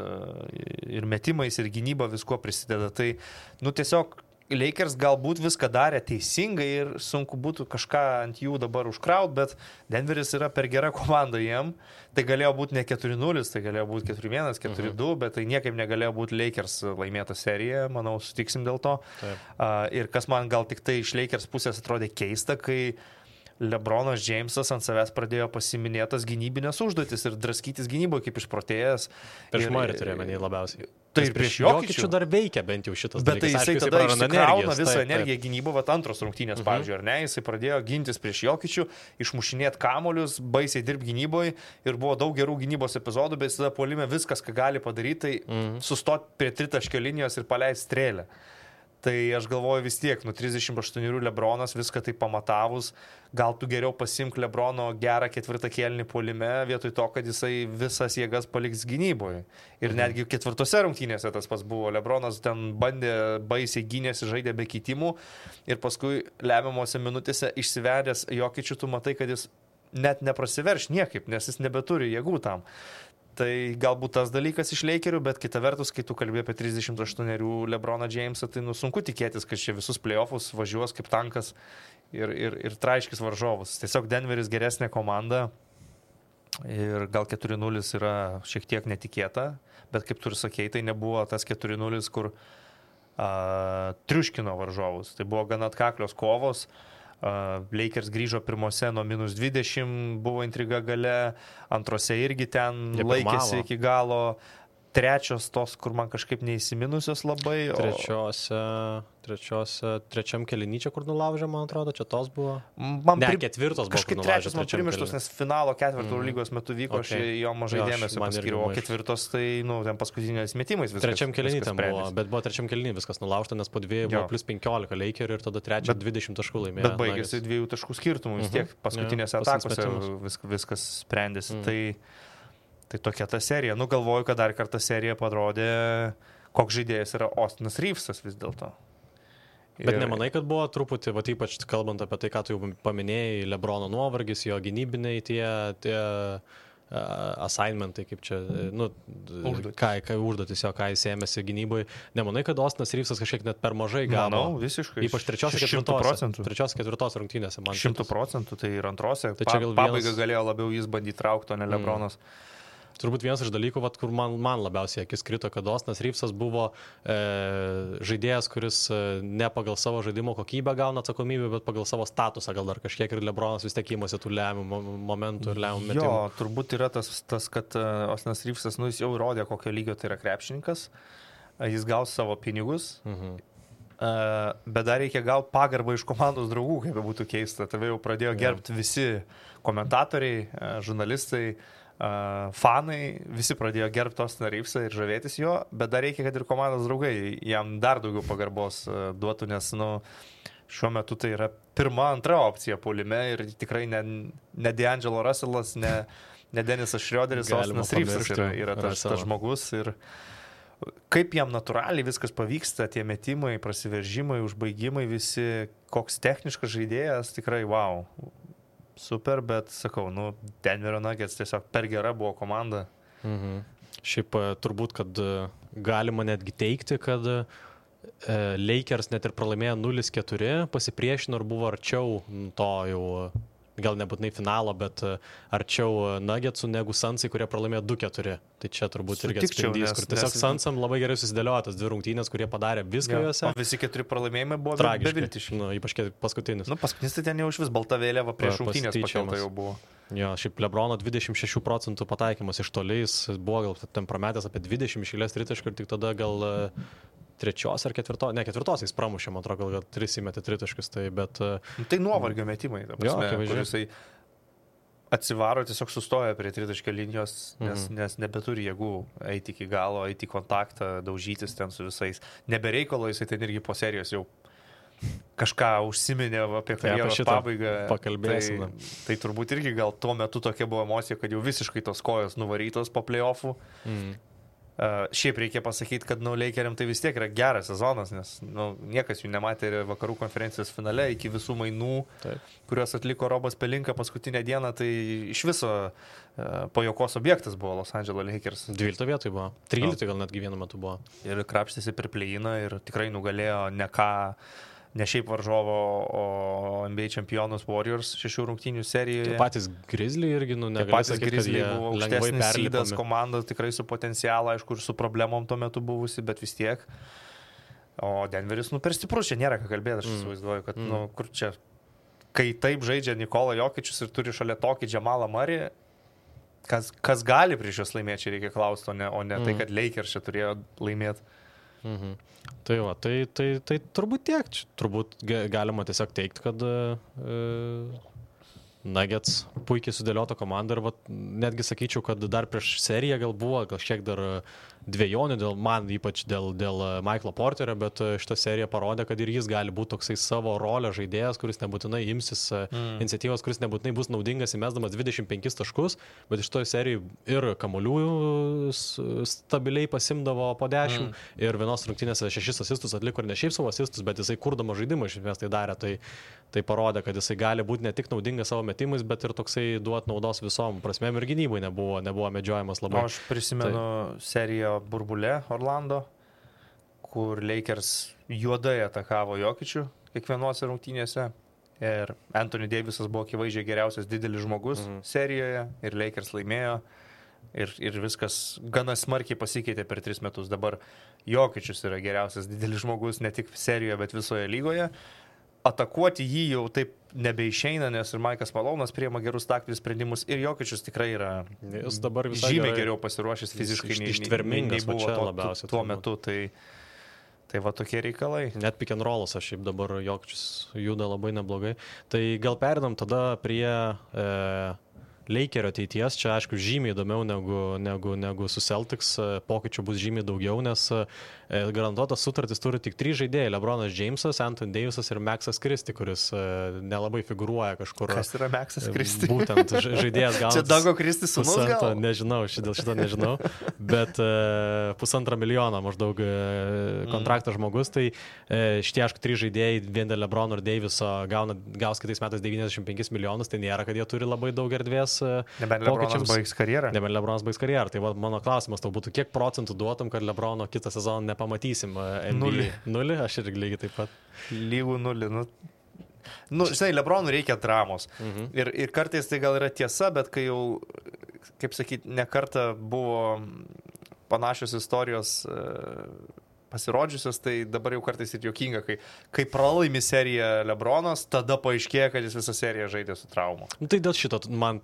Speaker 4: ir metimais, ir gynyba visko prisideda. Tai, tiesiog Lakers galbūt viską darė teisingai ir sunku būtų kažką ant jų dabar užkraut, bet Denveris yra per gera komanda jiem. Tai galėjo būti ne 4-0, tai galėjo būti 4-1, 4-2, bet tai niekaip negalėjo būti Lakers laimėta serija, manau, sutiksim dėl to. Ir kas man gal tik tai iš Lakers pusės atrodė keista, kai LeBronas Jamesas ant savęs pradėjo pasiminėtas gynybinės užduotis ir draskytis gynyboje kaip išprotėjęs.
Speaker 3: Prieš Murray turėjome nei labiausiai.
Speaker 4: Tai ir prieš Jokičių
Speaker 3: dar veikia bent jau šitas
Speaker 4: dalykas. Bet tai jisai tada išsikrauna visą energiją gynybo, antros rungtynės, pavyzdžiui, ar ne, jisai pradėjo gintis prieš Jokičių, išmušinėti kamolius, baisiai dirbti gynyboje ir buvo daug gerų gynybos epizodų, bet jis tada puolime viskas, ką gali padaryti, tai sustoti prie tritaškio linijos ir paleisti strėlę. Tai aš galvoju vis tiek, 38 LeBronas viską tai pamatavus, gal tu geriau pasimk LeBrono gerą 4 kėlinį puolime, vietoj to, kad jisai visas jėgas paliks gynyboje. Ir netgi 4 rungtynėse tas pas buvo. LeBronas ten bandė baisiai gynėsi, žaidė be keitimų ir paskui lemiamose minutėse išsivedęs Jokičių, tu matai, kad jis net neprasiverš niekaip, nes jis nebeturi jėgų tam. Tai galbūt tas dalykas iš Lakerių, bet kita vertus, kai tu kalbėjai apie 38 LeBroną Jamesą, tai sunku tikėtis, kad čia visus playoffus važiuos kaip tankas ir traiškis varžovus. Tiesiog Denveris geresnė komanda ir gal 4-0 yra šiek tiek netikėta, bet kaip tu ir sakei, tai nebuvo tas 4-0, kur triuškino varžovus. Tai buvo gana atkaklios kovos. Lakers grįžo pirmose nuo -20, buvo intriga gale, antrose irgi ten laikėsi iki galo, trečios tos, kur man kažkaip neįsiminusios labai.
Speaker 3: Trečiam kėlinyčia, kur nulaužė, man atrodo, čia tos buvo. Ketvirtos buvo.
Speaker 4: Kažkaip trečias man primirštos, nes finalo ketvirto lygos metu vyko, aš jo mažai dėmesio paskiriu, o ketvirtos tai, ten paskutinės metimais viskas.
Speaker 3: Trečiam kėlinytė buvo, bet buvo trečiam kėlinį viskas nulaužta, nes po 2 buvo plus 15 Lakerių ir tada trečią 20 taškų laimėjo.
Speaker 4: Bet baigėsi 2 taškų skirtumų, vis tiek paskutinėse atakose viskas sprendėsi. Tai tokia ta serija. Galvoju, kad dar kartą serija parodė, koks žaidėjas yra Austinas Reevesas vis dėlto.
Speaker 3: Bet nemanai, kad buvo truputį, ypač kalbant apie tai, ką tu jau paminėjai, LeBrono nuovargis, jo gynybiniai tie assignmentai, kaip čia, užduotis jo, ką jis ėmėsi gynybai. Nemanai, kad Austinas Reevesas kažkiek net per mažai gavo?
Speaker 4: Manau, visiškai.
Speaker 3: Ypač 3-4 rungtynėse.
Speaker 4: 100%, tai ir antrose. Pabaiga galėjo labiau jis bandyti traukti, o ne LeBronas.
Speaker 3: Turbūt vienas iš dalykų, kur man labiausiai akis krito, kad Austinas Reevesas buvo žaidėjas, kuris ne pagal savo žaidimo kokybę gauna atsakomybę, bet pagal savo statusą gal dar kažkiek ir LeBronas vis tiek įmasi tų lemiamų momentų ir lemiamų metimų.
Speaker 4: Jo, turbūt yra tas kad Austinas Reevesas, jis jau įrodė, kokio lygio tai yra krepšininkas, jis gaus savo pinigus, bet dar reikia gauti pagarbą iš komandos draugų, kaip būtų keista. Tave jau pradėjo gerbti visi komentatoriai, žurnalistai, fanai, visi pradėjo gerbti Austiną Reevesą ir žavėtis jo, bet dar reikia, kad ir komandos draugai jam dar daugiau pagarbos duotų, nes šiuo metu tai yra pirma, antra opcija puolime ir tikrai ne D'Angelo Russellas, ne Denisas Schroederis, Austinas Reevesas yra tas žmogus ir kaip jam natūraliai viskas pavyksta, tie metimai, prasiveržimai, užbaigimai, visi, koks techniškas žaidėjas, tikrai wow. Super, bet sakau, Denverio Nuggets tiesiog per gera buvo komanda.
Speaker 3: Šiaip turbūt, kad galima netgi teikti, kad Lakers net ir pralaimėjo 0-4, pasipriešino ir buvo arčiau to jau, gal nebūtinai finalo, bet arčiau Nuggetsų negu Sunsai, kurie pralaimėjo 2-4. Tai čia turbūt irgi atspindys, kur tiesiog Sunsam labai gerai susidėliojo tas 2 rungtynės, kurie padarė viską juose.
Speaker 4: O visi 4 pralaimėjimai buvo beviltiški.
Speaker 3: Ypač paskutinis.
Speaker 4: Paskutinis tai ten jau iš vis balta vėliava prieš rungtynės pakelta jau buvo.
Speaker 3: Jo, šiaip LeBrono 26% pataikymas iš toliais, buvo gal ten prametęs apie 20 išėlės tritaškų ir tik tada gal trečios ar ketvirtos jis pramušė, man atrodo, gal 3 įmetė tritaškus, tai bet...
Speaker 4: Tai nuovargio metimai, ta prasme, kur jisai atsivaro, tiesiog sustoja prie tritaškio linijos, nes nebeturi jėgų eiti iki galo, eiti į kontaktą, daužytis ten su visais. Nebereikalo jisai ten irgi po serijos jau kažką užsiminė apie karjeros pabaigą.
Speaker 3: Pakalbėsime.
Speaker 4: Tai turbūt irgi gal tuo metu tokia buvo emocija, kad jau visiškai tos kojos nuvarytos po playoffų. Šiaip reikia pasakyti, kad Lakeriam tai vis tiek yra geras sezonas, nes niekas jų nematė ir vakarų konferencijos finale iki visų mainų, kuriuos atliko Robas Pelinka paskutinę dieną, tai iš viso pajokos objektas buvo Los Angeles Lakers.
Speaker 3: 12 vietoj buvo. 13 gal netgi vienu metu buvo.
Speaker 4: Ir krapštėsi per play-iną ir tikrai nugalėjo ne šiaip varžovo, o NBA čempionus Warriors 6 rungtynių serijoje.
Speaker 3: Tai patys Grizzly irgi, negali sakyti, kad jie
Speaker 4: buvo aukštesnis sydas, komanda tikrai su potencialu, aišku, ir su problemom tuo metu buvusi, bet vis tiek. O Denveris, per stiprus, čia nėra ką kalbėti, aš įsivaizduoju, kad, kur čia, kai taip žaidžia Nikola Jokičius ir turi šalia tokį Jamalą Murray, kas gali prieš juos laimėti, čia reikia klausti, o ne tai, kad Lakers čia turėjo laimėti.
Speaker 3: Tai va, tai turbūt tiek. Turbūt galima tiesiog teikti, kad Nuggets puikiai sudėliota komanda ir netgi sakyčiau, kad dar prieš seriją gal buvo kažkiek dar dvejonių, man ypač dėl Michaelo Porterio, bet šitą seriją parodė, kad ir jis gali būti toksai savo rolę žaidėjas, kuris nebūtinai imsis iniciatyvos, kuris nebūtinai bus naudingas įmesdamas 25 taškus, bet iš toje serijoje ir kamuolių stabiliai pasimdavo po 10 ir vienos rungtynėse 6 asistus atliko ir ne šiaip savo asistus, bet jisai kurdama žaidimą iš esmės tai darė, tai parodė, kad jisai gali būti ne tik naudingas savo metimais, bet ir toksai duot naudos visom prasmėm ir gynybai nebuvo medžiojamas labai.
Speaker 4: Aš prisimenu seriją burbulė Orlando, kur Lakers juodai atakavo Jokičių kiekvienose rungtynėse ir Anthony Davisas buvo akivaizdžiai geriausias didelis žmogus serijoje ir Lakers laimėjo ir viskas gana smarkiai pasikeitė per 3 metus. Dabar Jokičius yra geriausias didelis žmogus ne tik serijoje, bet visoje lygoje. Atakuoti jį jau taip nebeišeina, nes ir Maikas Malonas priima gerus taktinius sprendimus ir Jokičius tikrai yra žymiai geriau pasiruošęs fiziškai nei buvo tuo metu. Tai va tokie reikalai.
Speaker 3: Net pick and rollas, aš šiaip dabar Jokičius juda labai neblogai. Tai gal perinam tada prie Lakerio ateities, čia aišku žymiai įdomiau negu su Celtics, pokyčių bus žymiai daugiau, nes garantuotas sutartis turi tik 3 žaidėjai, LeBronas Jamesas, Anthony Davisas ir Maxas Christie, kuris nelabai figūruoja kažkur.
Speaker 4: Kas yra Maxas Christie?
Speaker 3: Būtent žaidėjas gauna.
Speaker 4: Čia Dago Christie sūnus gal?
Speaker 3: Nežinau, dėl šito nežinau, bet $1,5 milijono maždaug kontraktas žmogus, tai šitie aišku 3 žaidėjai, vien dėl LeBrono ir Daviso gaus kitais metais $95 milijonus, tai nėra, kad jie turi labai daug erdvės.
Speaker 4: Nebent LeBronas baigs karjerą.
Speaker 3: Tai mano klausimas tau būtų, kiek procentų duotum, kad LeBrono kitą sezoną nepamatysim NBA? 0, aš irgi lygiai taip pat.
Speaker 4: Lygų 0. Žinai, LeBronui reikia dramos. Ir kartais tai gal yra tiesa, bet kai jau, kaip sakyti, ne kartą buvo panašios istorijos pasirodžiusios, tai dabar jau kartais ir juokinga, kai pralaimi seriją LeBronas, tada paaiškėja, kad jis visą seriją žaidė su traumu.
Speaker 3: Tai dėl šito, man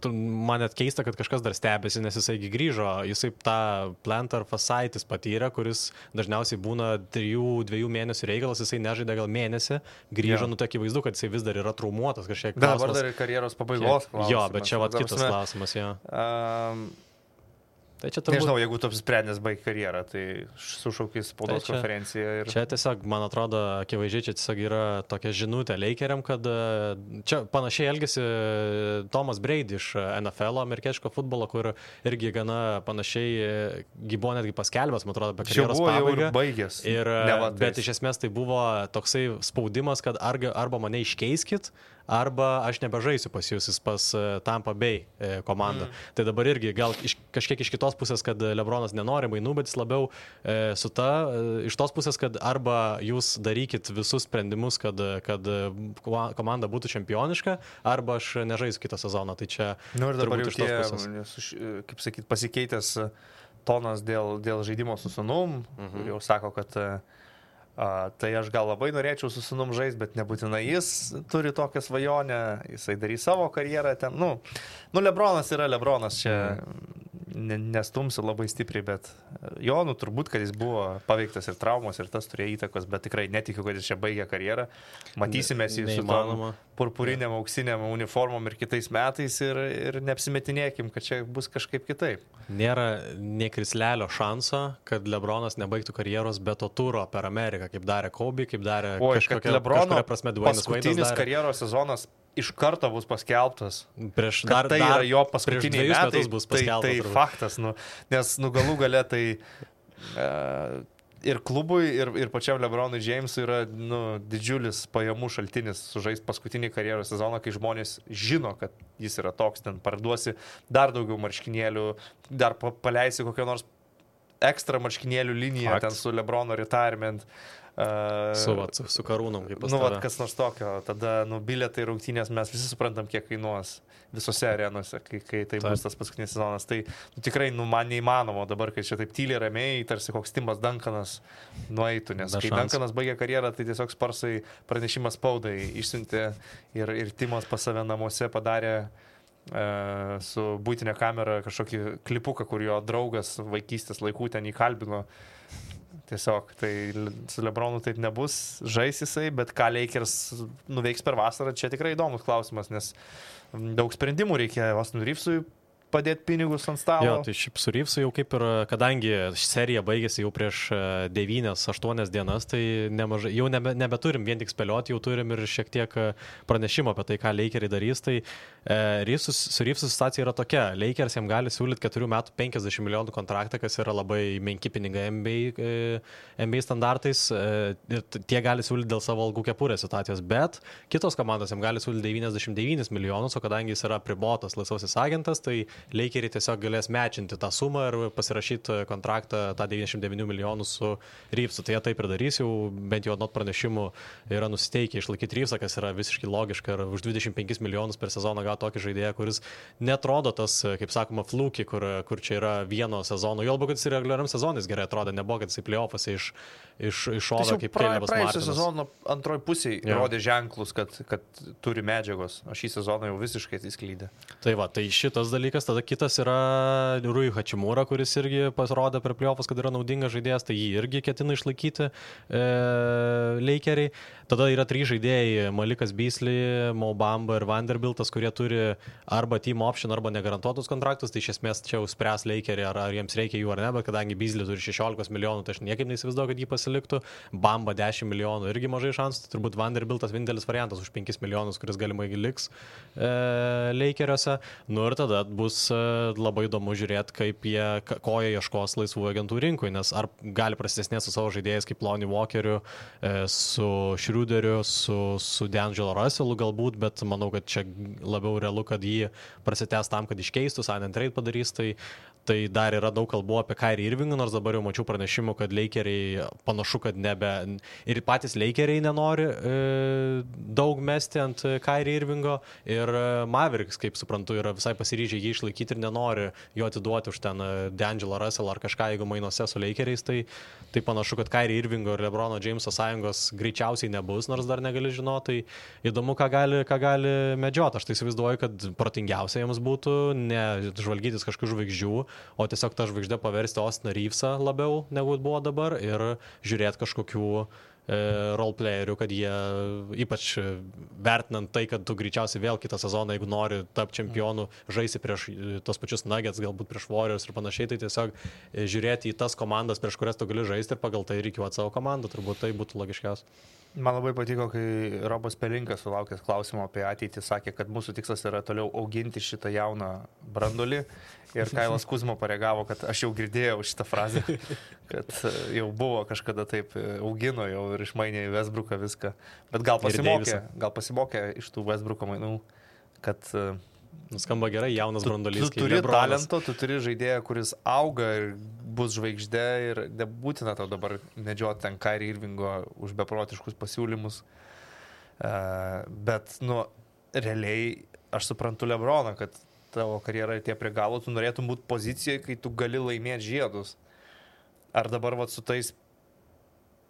Speaker 3: net keista, kad kažkas dar stebėsi, nes jisai grįžo, jisai tą plantar fasciitis patyrė, kuris dažniausiai būna 3-2 mėnesių reikalas, jisai nežaidė gal mėnesį, grįžo, akivaizdu, kad jisai vis dar yra traumuotas kažkiek.
Speaker 4: Dabar dar ir karjeros pabaigos klausimas.
Speaker 3: Jo, bet čia kitas klausimas, jo. Tai turbūt...
Speaker 4: Nežinau, jeigu tu apsisprendęs baigti karjerą, tai sušaukis spaudos konferenciją.
Speaker 3: Čia tiesiog, man atrodo, akivaizdžiai čia tiesiog yra tokia žinutė Lakeriam, kad čia panašiai elgėsi Thomas Brady iš NFL, amerikietiško futbolo, kur irgi gana panašiai buvo netgi paskelbęs, man atrodo, apie karjeros pabaigą.
Speaker 4: Baigęs.
Speaker 3: Bet iš esmės tai buvo toksai spaudimas, kad arba mane iškeiskit, arba aš nebežaisiu pas jūs, pas Tampa Bay komandą. Tai dabar irgi gal kažkiek iš kitos pusės, kad LeBronas nenori mainų, bet jis labiau iš tos pusės, kad arba jūs darykit visus sprendimus, kad komanda būtų čempioniška, arba aš nežaisiu kitą sezoną. Tai čia
Speaker 4: ir dabar jau tie, kaip sakyt, pasikeitęs tonas dėl žaidimo su sūnum, jau sako, kad tai aš gal labai norėčiau su sūnum žaisti, bet nebūtinai jis turi tokią svajonę, jisai darys savo karjerą ten. LeBronas yra LeBronas, čia nestumsiu labai stipriai, bet jo, turbūt, kad jis buvo paveiktas ir traumos, ir tas turėjo įtakos, bet tikrai netikiu, kad jis čia baigė karjerą. Matysime jį su tom purpuriniam, auksiniam uniformom ir kitais metais ir neapsimetinėkim, kad čia bus kažkaip kitaip.
Speaker 3: Nėra nė krislelio šanso, kad LeBronas nebaigtų karjeros be to turo per Ameriką, kaip darė Kobe, kaip darė kažkokia prasme Dwayne'as Wade'as.
Speaker 4: Paskutinis karjeros sezonas iš karto bus paskelbtas.
Speaker 3: Tai
Speaker 4: yra jo paskutiniai metai,
Speaker 3: bus paskelbtas.
Speaker 4: Tai faktas, nes galų gale tai ir klubui, ir pačiam LeBronui Jamesui yra didžiulis pajamų šaltinis sužaisti paskutinį karjeros sezoną, kai žmonės žino, kad jis yra toks, ten parduosi dar daugiau marškinėlių, dar paleisi kokią nors ekstra marškinėlių liniją ten su LeBrono retirement.
Speaker 3: Su karūnom, kaip pastarą.
Speaker 4: Kas nors tokio, tada bilietai rungtynės mes visi suprantam, kiek kainuos visose arenose, kai tai bus tas paskutinis sezonas. Tai tikrai man neįmanoma dabar, kai čia taip tyliai ramiai, tarsi koks Timas Duncanas nueitų, nes kai Duncanas baigė karjerą, tai tiesiog Sparsai pranešimas spaudai išsiuntė ir Timas pas save namuose padarė su būtinė kamera kažkokį klipuką, kur jo draugas vaikystės laikų ten įkalbino. Tiesiog, tai su LeBronu taip nebus, žais jisai, bet ką Lakers nuveiks per vasarą, čia tikrai įdomus klausimas, nes daug sprendimų reikia Austin Reevesui padėti pinigus ant stalo.
Speaker 3: Jo, tai šiaip su Reevesu jau kaip ir, kadangi serija baigėsi jau prieš 9-8 dienas, tai nemažai, jau nebeturim vien tik spėlioti, jau turim ir šiek tiek pranešimo apie tai, ką Lakeriai darys. Tai su Reevesu situacija yra tokia, Lakers jam gali siūlyti 4 metų 50 milijonų kontraktą, kas yra labai menki pinigai NBA standartais, tie gali siūlyti dėl savo algų kepurės situacijos, bet kitos komandos jam gali siūlyti 99 milijonus, o kadangi jis yra pribotas laisvasis agentas, tai Lakeriai tiesiog galės mečinti tą sumą ir pasirašyti kontraktą tą 99 milijonų su Reevesu. Tai jie taip ir darys, jau bent jau nuo pranešimų yra nusiteikę išlaikyti Reevesą, kas yra visiškai logiška, ir už 25 milijonus per sezoną gauti tokį žaidėją, kuris netrodo tas, kaip sakoma, fluki, kur čia yra vieno sezono. Jo, kad jis ir reguliariam sezonais gerai atrodo, nebuvo, kad jis į playoffose iššovė kaip Calebas Martinas.
Speaker 4: Praėjusią sezoną antroji pusėje rodė ženklus, kad turi medžiagos, o šį sezoną jau visiškai atsisklydė.
Speaker 3: Tai va, tai šitas dalykas. Tada kitas yra Rui Hachimura, kuris irgi pasirodė per playoffus, kad yra naudingas žaidėjas, tai jį irgi ketina išlaikyti Lakeriai. Tada yra 3 žaidėjai, Malikas Beasley, Mo Bamba ir Vanderbiltas, kurie turi arba team option, arba negarantuotus kontraktus, tai iš esmės čia jau spręs Lakeriai, ar jiems reikia jų ar ne, bet kadangi Beasley turi 16 milijonų, tai aš niekaip neįsivaizduoju, kad jį pasiliktų. Bamba 10 milijonų, irgi mažai šansų, tai turbūt Vanderbiltas vienintelis variantas už 5 milijonus, kuris galimai liks Lakeriuose. Ir tada bus labai įdomu žiūrėti, ko jie ieškos laisvų agentų rinkui, nes ar gali prasitesnės su savo žaidėjais kaip Lonnie Walkeriu, su Schroederiu, su D'Angelo Russellu galbūt, bet manau, kad čia labiau realu, kad jį prasitęs tam, kad iškeistų, sign and trade padarys, tai dar yra daug kalbų apie Kyrie Irvingą, nors dabar jau mačiau pranešimų, kad Lakeriai panašu, kad ir patys Lakeriai nenori daug mesti ant Kyrie Irvingo, ir Mavericks, kaip suprantu, yra visai pasiryžę jį išlaikyti ir nenori jo atiduoti už ten D'Angelo Russell ar kažką, jeigu mainose su Lakeriais, tai panašu, kad Kyrie Irvingo ir LeBrono Jameso sąjungos greičiausiai nebus, nors dar negali žinoti, tai įdomu, ką gali medžioti. Aš tai įsivaizduoju, kad protingiausia jiems būtų ne žvalgytis kažkokių žvaigždžių, o tiesiog tą žvaigždę paversti Austiną Reevesą labiau negu buvo dabar ir žiūrėti kažkokių roleplayerių, kad jie, ypač vertinant tai, kad tu greičiausiai vėl kitą sezoną, jeigu nori tapti čempionu, žaisi prieš tos pačius Nuggets, galbūt prieš Warriors ir panašiai, tai tiesiog žiūrėti į tas komandas, prieš kurias tu gali žaisti ir pagal tai reikiuoti savo komandą, turbūt tai būtų logiškiausia.
Speaker 4: Man labai patiko, kai Robas Pelinkas sulaukęs klausimo apie ateitį sakė, kad mūsų tikslas yra toliau auginti šitą jauną brandolį, ir Kailas Kuzma pareagavo, kad aš jau girdėjau šitą frazę, kad jau buvo kažkada taip, augino jau ir išmainė į Westbrooką viską, bet gal pasimokė iš tų Westbrooko mainų, kad
Speaker 3: nuskamba gerai, jaunas brandolys.
Speaker 4: Tu turi talento, tu turi žaidėją, kuris auga ir bus žvaigždė, ir nebūtina tau dabar medžioti ten Kyrie Irvingo už beprotiškus pasiūlymus. Bet, realiai aš suprantu LeBroną, kad tavo karjera tie prie galo, tu norėtum būti pozicijoje, kai tu gali laimėti žiedus. Ar dabar su tais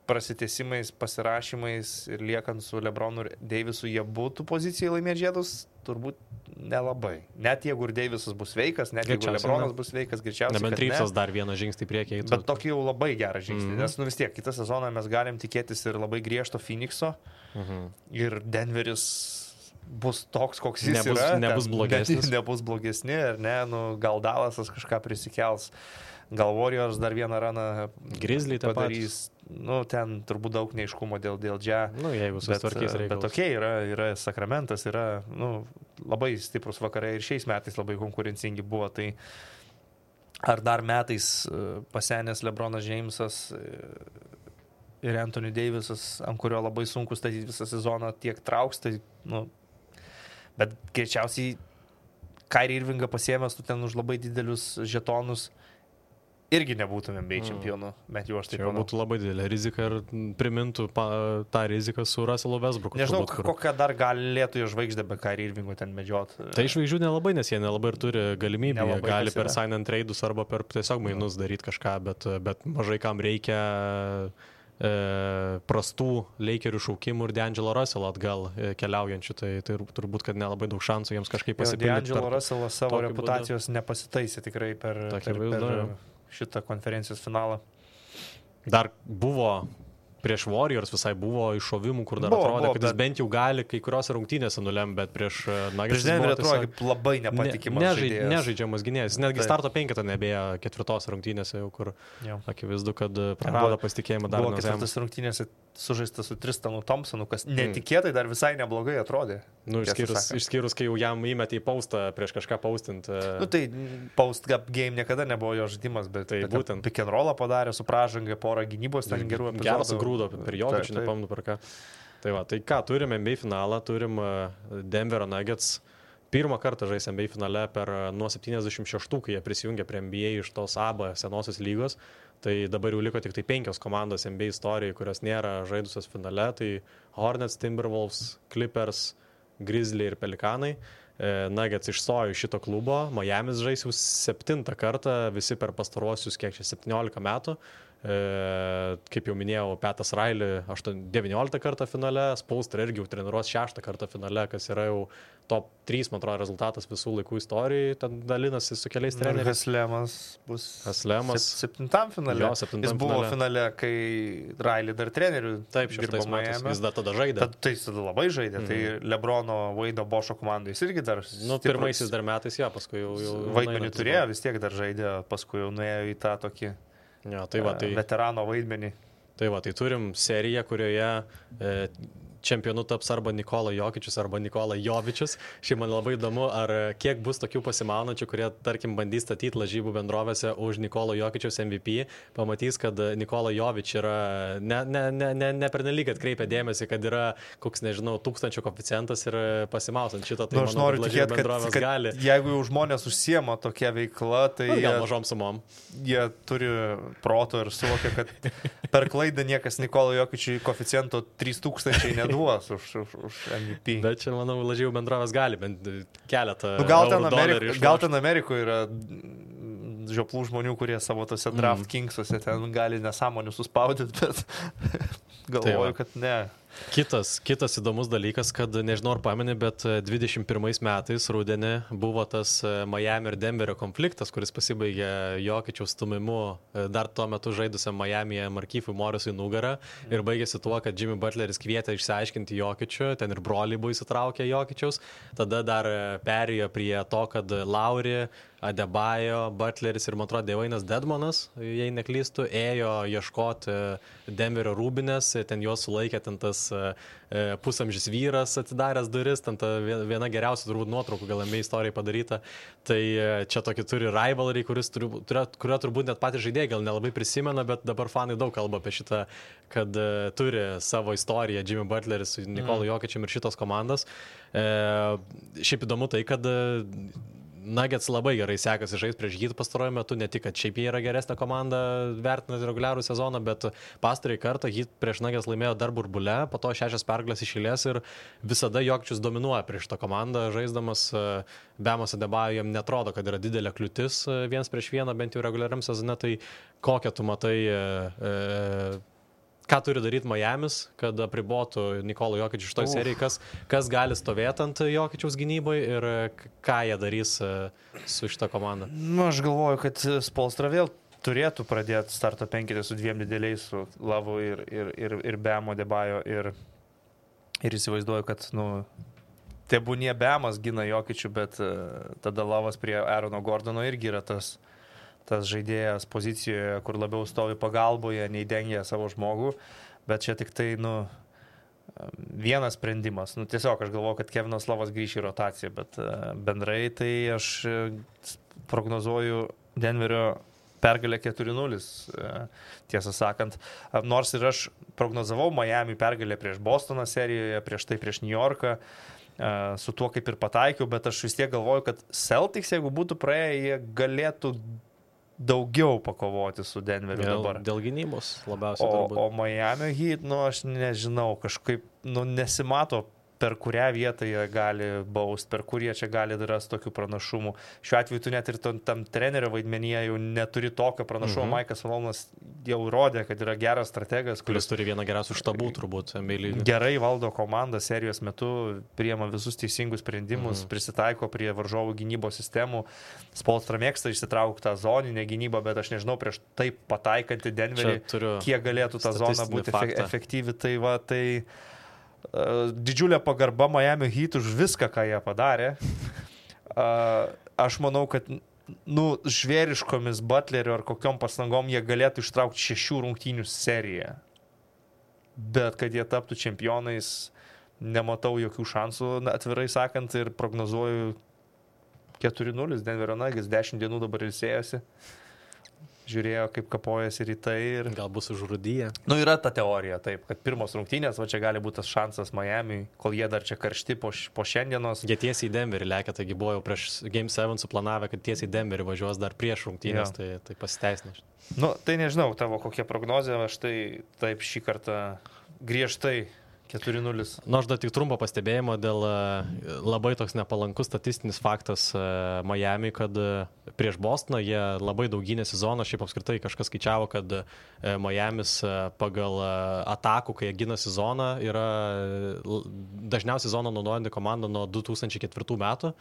Speaker 4: prasitęsimais, pasirašymais ir liekant su LeBronu ir Davisu, jie būtų pozicijai laimėti žiedus, turbūt nelabai. Net jeigu ir Davisas bus sveikas, net jeigu LeBronas bus sveikas, greičiausiai.
Speaker 3: Nebent Reevesas dar vieną žingsnį priekį eitų.
Speaker 4: Bet tokį jau labai gerą žingsnį, nes vis tiek kitą sezoną mes galim tikėtis ir labai griežto Phoenixo ir Denveris bus toks, koks jis yra.
Speaker 3: Nebus blogesnis.
Speaker 4: Nebus blogesni, ar ne, gal Dallasas kažką prisikels. Gal Warriors dar vieną raną
Speaker 3: Grizzly
Speaker 4: padarys. Ten turbūt daug neiškumo dėl džia.
Speaker 3: Jeigu susitvarkys reikalus.
Speaker 4: Bet tokie yra Sakramentas, yra labai stiprus vakarai ir šiais metais labai konkurencingi buvo. Tai ar dar metais pasenęs LeBronas Jamesas ir Anthony Davisas, ant kurio labai sunku statyti visą sezoną, tiek trauks, tai, bet greičiausiai Kyrie Irvingą pasiėmęs tu ten už labai didelius žetonus, irgi nebūtumėm bei čempionų, bet jau aš taip manau.
Speaker 3: Būtų labai didelė rizika ir primintų tą riziką su Russellu Westbrooku.
Speaker 4: Nežinau, kokią dar galėtų jo žvaigždę be Kyrie Irvingo ten medžiot.
Speaker 3: Tai žvaigždžių nelabai, nes jie nelabai ir turi galimybę. Jie gali per sign and trade'us arba per tiesiog mainus daryti kažką, bet mažai kam reikia prastų Lakerių šaukimų ir D'Angelo Russello atgal keliaujančių, tai turbūt, kad nelabai daug šansų jiems kažkaip pasipildyti.
Speaker 4: D'Angelo Russell savo reputacijos nepasitaisė tikrai per šitą konferencijos finalą.
Speaker 3: Dar buvo prieš Warriors visai buvo iššovimų, kur dar atrodė, kad jis bent jau gali kai kurios rungtynėse nulemti, bet prieš Nuggets
Speaker 4: prieš Denverį atrodo kaip labai nepatikimas žaidėjas.
Speaker 3: Nežaidžiamas gynėjas. Netgi starto penketą nebėjo ketvirtos rungtynėse, jau kur akivaizdu, kad prarado pasitikėjimą dar.
Speaker 4: Buvo ketvirtas rungtynėse sužaistas su Tristanu Thompsonu, kas netikėtai dar visai neblogai atrodė.
Speaker 3: Išskyrus, kai jau jam įmetė į paustą prieš kažką paustinti.
Speaker 4: Tai post game niekada nebuvo jo žaidimas, bet
Speaker 3: būtent
Speaker 4: pick and rollą padarė su pražanga, porą gynybos ten gerų epizodų.
Speaker 3: Geras grūdo per Jokičių, nepamenu per ką. Tai ką, turim NBA finalą, turim Denverio Nuggets. Pirmą kartą žais NBA finale nuo 76, kai jie prisijungė prie NBA iš tos ABA senosios lygos. Tai dabar jau liko tik 5 komandos NBA istorijai, kurios nėra žaidusios finale. Tai Hornets, Timberwolves, Clippers, Grizzly ir Pelikanai. Nuggets išstojo iš šito klubo. Miamis žais jau 7 kartą, visi per pastaruosius 17 metų. Kaip jau minėjau, Petas Riley 19 kartą finale, Spoelstra irgi jau treniruos 6 kartą finale, kas yra jau top 3, man atrodo, rezultatas visų laikų istorijai, ten dalinasi su keliais treneriais.
Speaker 4: Haslemas bus 7 finale. Jis buvo finale, kai Riley dar trenerių
Speaker 3: dirbo Miami. Jis dar tada žaidė.
Speaker 4: Tai jis tada labai žaidė. Tai LeBrono, Wade'o, Bošo komandai jis irgi dar
Speaker 3: pirmaisiais dar metais, paskui jau
Speaker 4: vaidmenį turėjo, vis tiek dar žaidė, paskui jau nuėjo į tą tokį veterano vaidmenį.
Speaker 3: Tai turim seriją, kurioje čempionu taps arba Nikola Jokičius, arba Nikola Jovičius. Šiaip man labai įdomu, ar kiek bus tokių pasimaunančių, kurie, tarkim, bandys statyti lažybų bendrovėse už Nikola Jokičius MVP, pamatys, kad Nikola Jovič yra ne pernelyg atkreipia dėmesį, kad yra koks, nežinau, 1000 koeficientas ir pasimausant šitą, tai
Speaker 4: aš noriu tikėti, kad
Speaker 3: gali.
Speaker 4: Jeigu jau žmonės užsiema tokia veikla, tai
Speaker 3: gal mažom sumom.
Speaker 4: Jie turi proto ir suvokia, kad per klaidą niekas Nikola Jokičiui koeficiento 3000 neduos už MVP.
Speaker 3: Bet čia, manau, lažybų bendrovės gali bent keletą
Speaker 4: gal ten Amerikoje yra žioplų žmonių, kurie savo tose draft kingsuose ten gali nesąmonių suspaudyti, bet galvoju, kad ne.
Speaker 3: Kitas įdomus dalykas, kad nežinau ar pameni, bet 21 metais rudenį buvo tas Miami ir Denverio konfliktas, kuris pasibaigė Jokičiaus stumimu dar tuo metu žaidusiam Miami'e Markifui Morrisui nugarą ir baigėsi tuo, kad Jimmy Butleris kvietė išsiaiškinti Jokičių, ten ir broliai buvo įsitraukę Jokičiaus, tada dar perėjo prie to, kad Lauri, Adebayo, Butleris ir, man atrodo, Devainas Dedmonas, jei neklystu, ėjo ieškoti Denverio rūbinės, ten juos sulaikė ten tas pusamžis vyras atidaręs duris, ten ta viena geriausia turbūt nuotraukų gal NBA istorijai padaryta. Tai čia tokį turi rivalry, kurio turbūt net patys žaidėjai gal nelabai prisimena, bet dabar fanai daug kalba apie šitą, kad turi savo istoriją Jimmy Butleris su Nikolu Jokičium ir šitos komandos. Šiaip įdomu tai, kad Nuggets labai gerai sekasi žaisti prieš Heat pastaruoju metu, ne tik, kad šiaip jie yra geresnė komanda vertinant reguliarų sezoną, bet pastarąjį kartą Heat prieš Nuggets laimėjo dar burbule, po to 6 pergalės iš eilės ir visada Jokičius dominuoja prieš tą komandą, žaisdamas Bemas Adebayo jam netrodo, kad yra didelė kliūtis 1 prieš 1, bent jau reguliariam sezone, tai kokią tu matai, ką turi daryti Miamis, kad apribotų Nikolo Jokičių šitoj serijai, kas gali stovėti ant Jokičiaus gynybai ir ką jie darys su šita komanda.
Speaker 4: Nu, aš galvoju, kad Spolstra vėl turėtų pradėti starto penketę su dviem dideliais, su Lavu ir Bemo Debajo ir įsivaizduoju, kad, tebūnie Bemas gina Jokičių, bet tada Lavas prie Aarono Gordono irgi yra tas žaidėjas pozicijoje, kur labiau stovi pagalboje, nei dengia savo žmogų, bet čia tik tai, vienas sprendimas. Tiesiog aš galvoju, kad Kevinas Lavas grįš į rotaciją, bet bendrai tai aš prognozuoju Denverio pergalę 4-0, tiesą sakant. Nors ir aš prognozavau Miami pergalę prieš Bostoną serijoje, prieš tai prieš New Yorką, su tuo kaip ir pataikiau, bet aš vis tiek galvoju, kad Celtics, jeigu būtų praėję, jie galėtų daugiau pakovoti su Denveriu dabar.
Speaker 3: Dėl gynybos labiausiai turbūt.
Speaker 4: O Miami Heat, aš nežinau, kažkaip, nesimato, per kurią vietą jie gali baust, per kur jie čia gali rasti tokių pranašumų. Šiuo atveju tu net ir tam trenerio vaidmenyje jau neturi tokio pranašumo. Maikas Malonas jau rodė, kad yra geras strategas,
Speaker 3: kuris turi vieną geriausių štabų turbūt.
Speaker 4: Gerai valdo komandą serijos metu, priema visus teisingus sprendimus, prisitaiko prie varžovų gynybos sistemų. Spolstra mėgsta išsitraukti tą zoninę gynybą, bet aš nežinau, prieš taip pataikantį Denverį, kiek galėtų ta zona būti efektyvi. Tai didžiulė pagarba Miami Heat už viską, ką jie padarė. Aš manau, kad žvėriškomis Butlerio ar kokiom pastangom jie galėtų ištraukti 6 rungtynių seriją. Bet kad jie taptų čempionais, nematau jokių šansų, atvirai sakant, ir prognozuoju 4-0. Denverio Nuggets 10 dienų dabar ilsėjosi. Žiūrėjo, kaip kapojasi rytai ir...
Speaker 3: Gal bus užrūdyje.
Speaker 4: Yra ta teorija, taip, kad pirmos rungtynės, čia gali būti tas šansas Miami, kol jie dar čia karšti po šiandienos.
Speaker 3: Jie tiesiai į Denverį lekia, taigi buvo jau prieš Game 7 suplanavę, kad tiesiai į Denverį važiuos dar prieš rungtynės, tai pasiteisina.
Speaker 4: Tai nežinau, tavo kokia prognozė, aš tai taip šį kartą griežtai 4-0.
Speaker 3: Aš dar tik trumpo pastebėjimo dėl labai toks nepalankus statistinis faktas Miami, kad prieš Bostoną jie labai daug gynė sezoną, šiaip apskritai kažkas skaičiavo, kad Miamis pagal atakų, kai jie gina sezoną, yra dažniausiai sezoną naudojanti komanda nuo 2004 metų.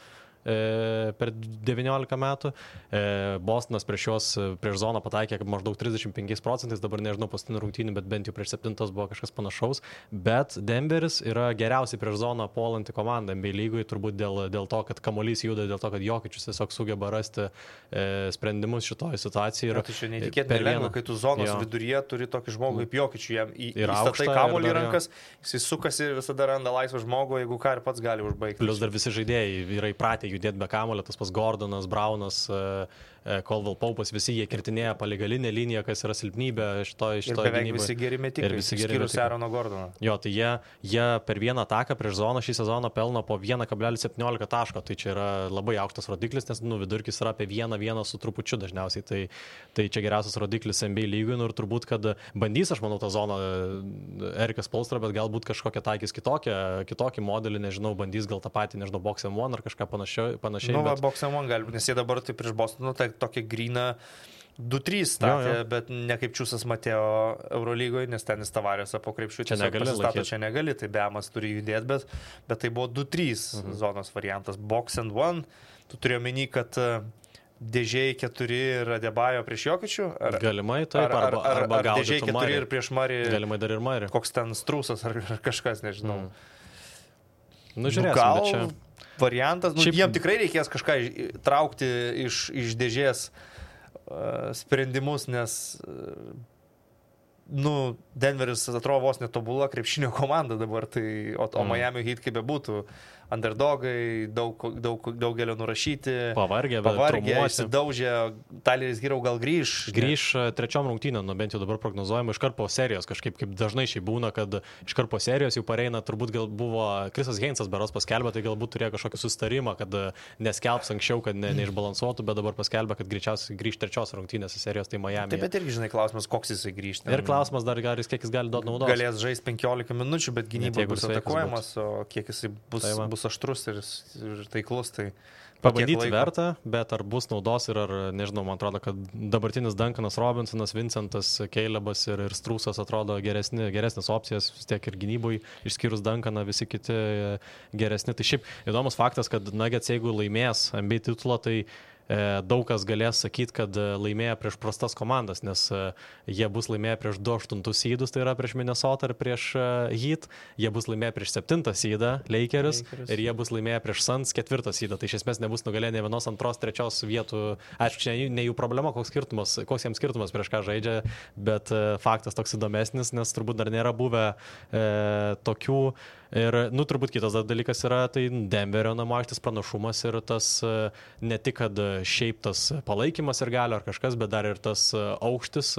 Speaker 3: Per 19 metų. Bostonas prieš zoną pataikė maždaug 35%, dabar nežinau paskutinį rungtynį, bet bent jau prieš 7 buvo kažkas panašaus. Bet Denveris yra geriausiai prieš zoną puolanti komanda NBA lygoj, turbūt dėl to, kad kamuolys juda, dėl to, kad Jokičius tiesiog sugeba rasti sprendimus šitoje situacijoje.
Speaker 4: Tai čia neįtikėtinai lengva, kai tu zonos viduryje turi tokį žmogų kaip Jokičių, jam įstatai kamuolį rankas, jis sukasi ir visada randa laisvą žmogų, jeigu ką ir pats gali užbaigti.
Speaker 3: Plus dar visi žaidėjai yra įpratę judėti be kamulio, tas pas Gordonas, Braunas, Caldwell Paupas, visi jie kirtinėja paligalinę liniją, kas yra silpnybė šitoje gynyboje.
Speaker 4: Ir beveik visi geri metikai, išskyrus Aarono Gordono.
Speaker 3: Jo, tai jie per vieną ataką prieš zoną šį sezoną pelno po 1,17 taško, tai čia yra labai aukštas rodiklis, nes vidurkis yra apie 1 su trupučiu dažniausiai, tai čia geriausias rodiklis NBA lygui, ir turbūt, kad bandys, aš manau, tą zoną Erikas Spolstra, bet galbūt kažkokią taikys kitokį modelį, nežinau, bandys gal tą patį, nežinau, Box M1 ar kažką panašiai.
Speaker 4: Box M1 gali būti, nes jie dabar tai prieš Bostoną, tai tokia gryna 2-3 statė, bet ne kaip Čiūsas Mateo Eurolygoje, nes tenis Tavarėse po krepšių čia negali, tai Bemas turi judėti, bet tai buvo 2-3 zonos variantas. Box and 1, tu turėjo menį, kad dėžiai 4 ir Adebayo prieš Jokičių?
Speaker 3: Galimai taip, arba gal
Speaker 4: dėžiai 4 ir prieš Marį.
Speaker 3: Galimai dar ir Marį.
Speaker 4: Koks ten Strūsas ar kažkas, nežinau.
Speaker 3: Žiūrėsim, bet čia...
Speaker 4: variantas, jiem tikrai reikės kažką traukti iš dėžės sprendimus, nes Denveris atrodo vos netobula krepšinio komanda dabar, o Miami Heat kaip bebūtų, underdogai, daugelio nurašyti, pavargę, išsidaužę, Tyleris Hero gal grįž
Speaker 3: trečiom rungtynėm, bent jau dabar prognozuojama iškart po serijos, kažkaip kaip dažnai šiai būna, kad iškart po serijos jau pareina, turbūt gal buvo Krisas Heinzas beros paskelbė, tai galbūt turėjo kažkokį susitarimą, kad neskelbs anksčiau, kad neišbalansuotų, bet dabar paskelbė, kad greičiausiai grįž trečios rungtynės serijos, tai Miami.
Speaker 4: Taip, bet irgi žinai klausimas, koks jisai grįžta.
Speaker 3: Ir klausimas dar, kiek jis gali duoti naudos.
Speaker 4: Galės žaisti 15 minučių, bet gynyba bus atakuojamas, o kiek jisai bus aštrus ir taiklus, tai
Speaker 3: Pabandyti verta, bet ar bus naudos ir ar, nežinau, man atrodo, kad dabartinis Duncanas Robinsonas, Vincentas Calebas ir Strūsas atrodo geresnės opcijas, vis tiek ir gynybui, išskyrus Duncaną, visi kiti geresni. Tai šiaip įdomus faktas, kad Nuggets, jeigu laimės NBA titulą, tai daug kas galės sakyti, kad laimėjo prieš prastas komandas, nes jie bus laimėję prieš 2-8 sydus, tai yra prieš Minnesota ir prieš Heat, jie bus laimėję prieš 7 sydą Lakers ir jie bus laimėję prieš Suns 4 sydą, tai iš esmės nebus nugalėję ne vienos, antros, trečios vietų. Aišku, čia ne jų problema, koks jiems skirtumas prieš ką žaidžia, bet faktas toks įdomesnis, nes turbūt dar nėra buvę tokių. Ir, turbūt kitas dalykas yra, tai Denverio namų aikštės pranašumas ir tas ne tik, kad šiaip tas palaikymas ir galio ar kažkas, bet dar ir tas aukštis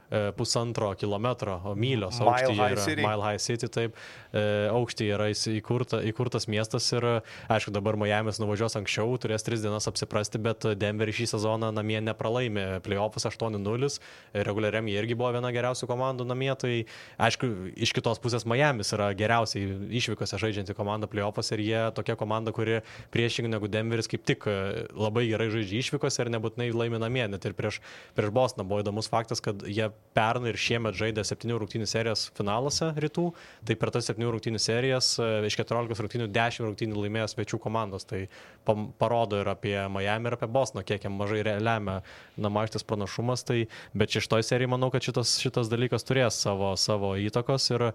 Speaker 3: 1,5 kilometro, mylios aukštyje yra Mile High City, taip, aukštyje yra įkurtas miestas ir, aišku, dabar Miamis nuvažiuos anksčiau, turės 3 dienas apsiprasti, bet Denver šį sezoną namie nepralaimė, playoffus 8-0, reguliariam jie irgi buvo viena geriausių komandų namie, tai, aišku, iš kitos pusės Miamis yra geriausiai išvykose žaidžianti komanda playoffus ir jie tokia komanda, kuri priešingai negu Denveris kaip tik labai gerai žaidžia išvykose ir nebūtinai laimi namie, net ir prieš Bostoną buvo įdomus faktas, kad jie pernai ir šiemet žaidė 7 rungtynių serijas finaluose rytų, tai per tas 7 rungtynių serijas iš 14 rungtynių 10 rungtynių laimėjo svečių komandos, tai parodo ir apie Miami ir apie Bostoną, kiek jam mažai lemia namų aikštės pranašumas, tai, bet šitoj serijai manau, kad šitas dalykas turės savo įtakos ir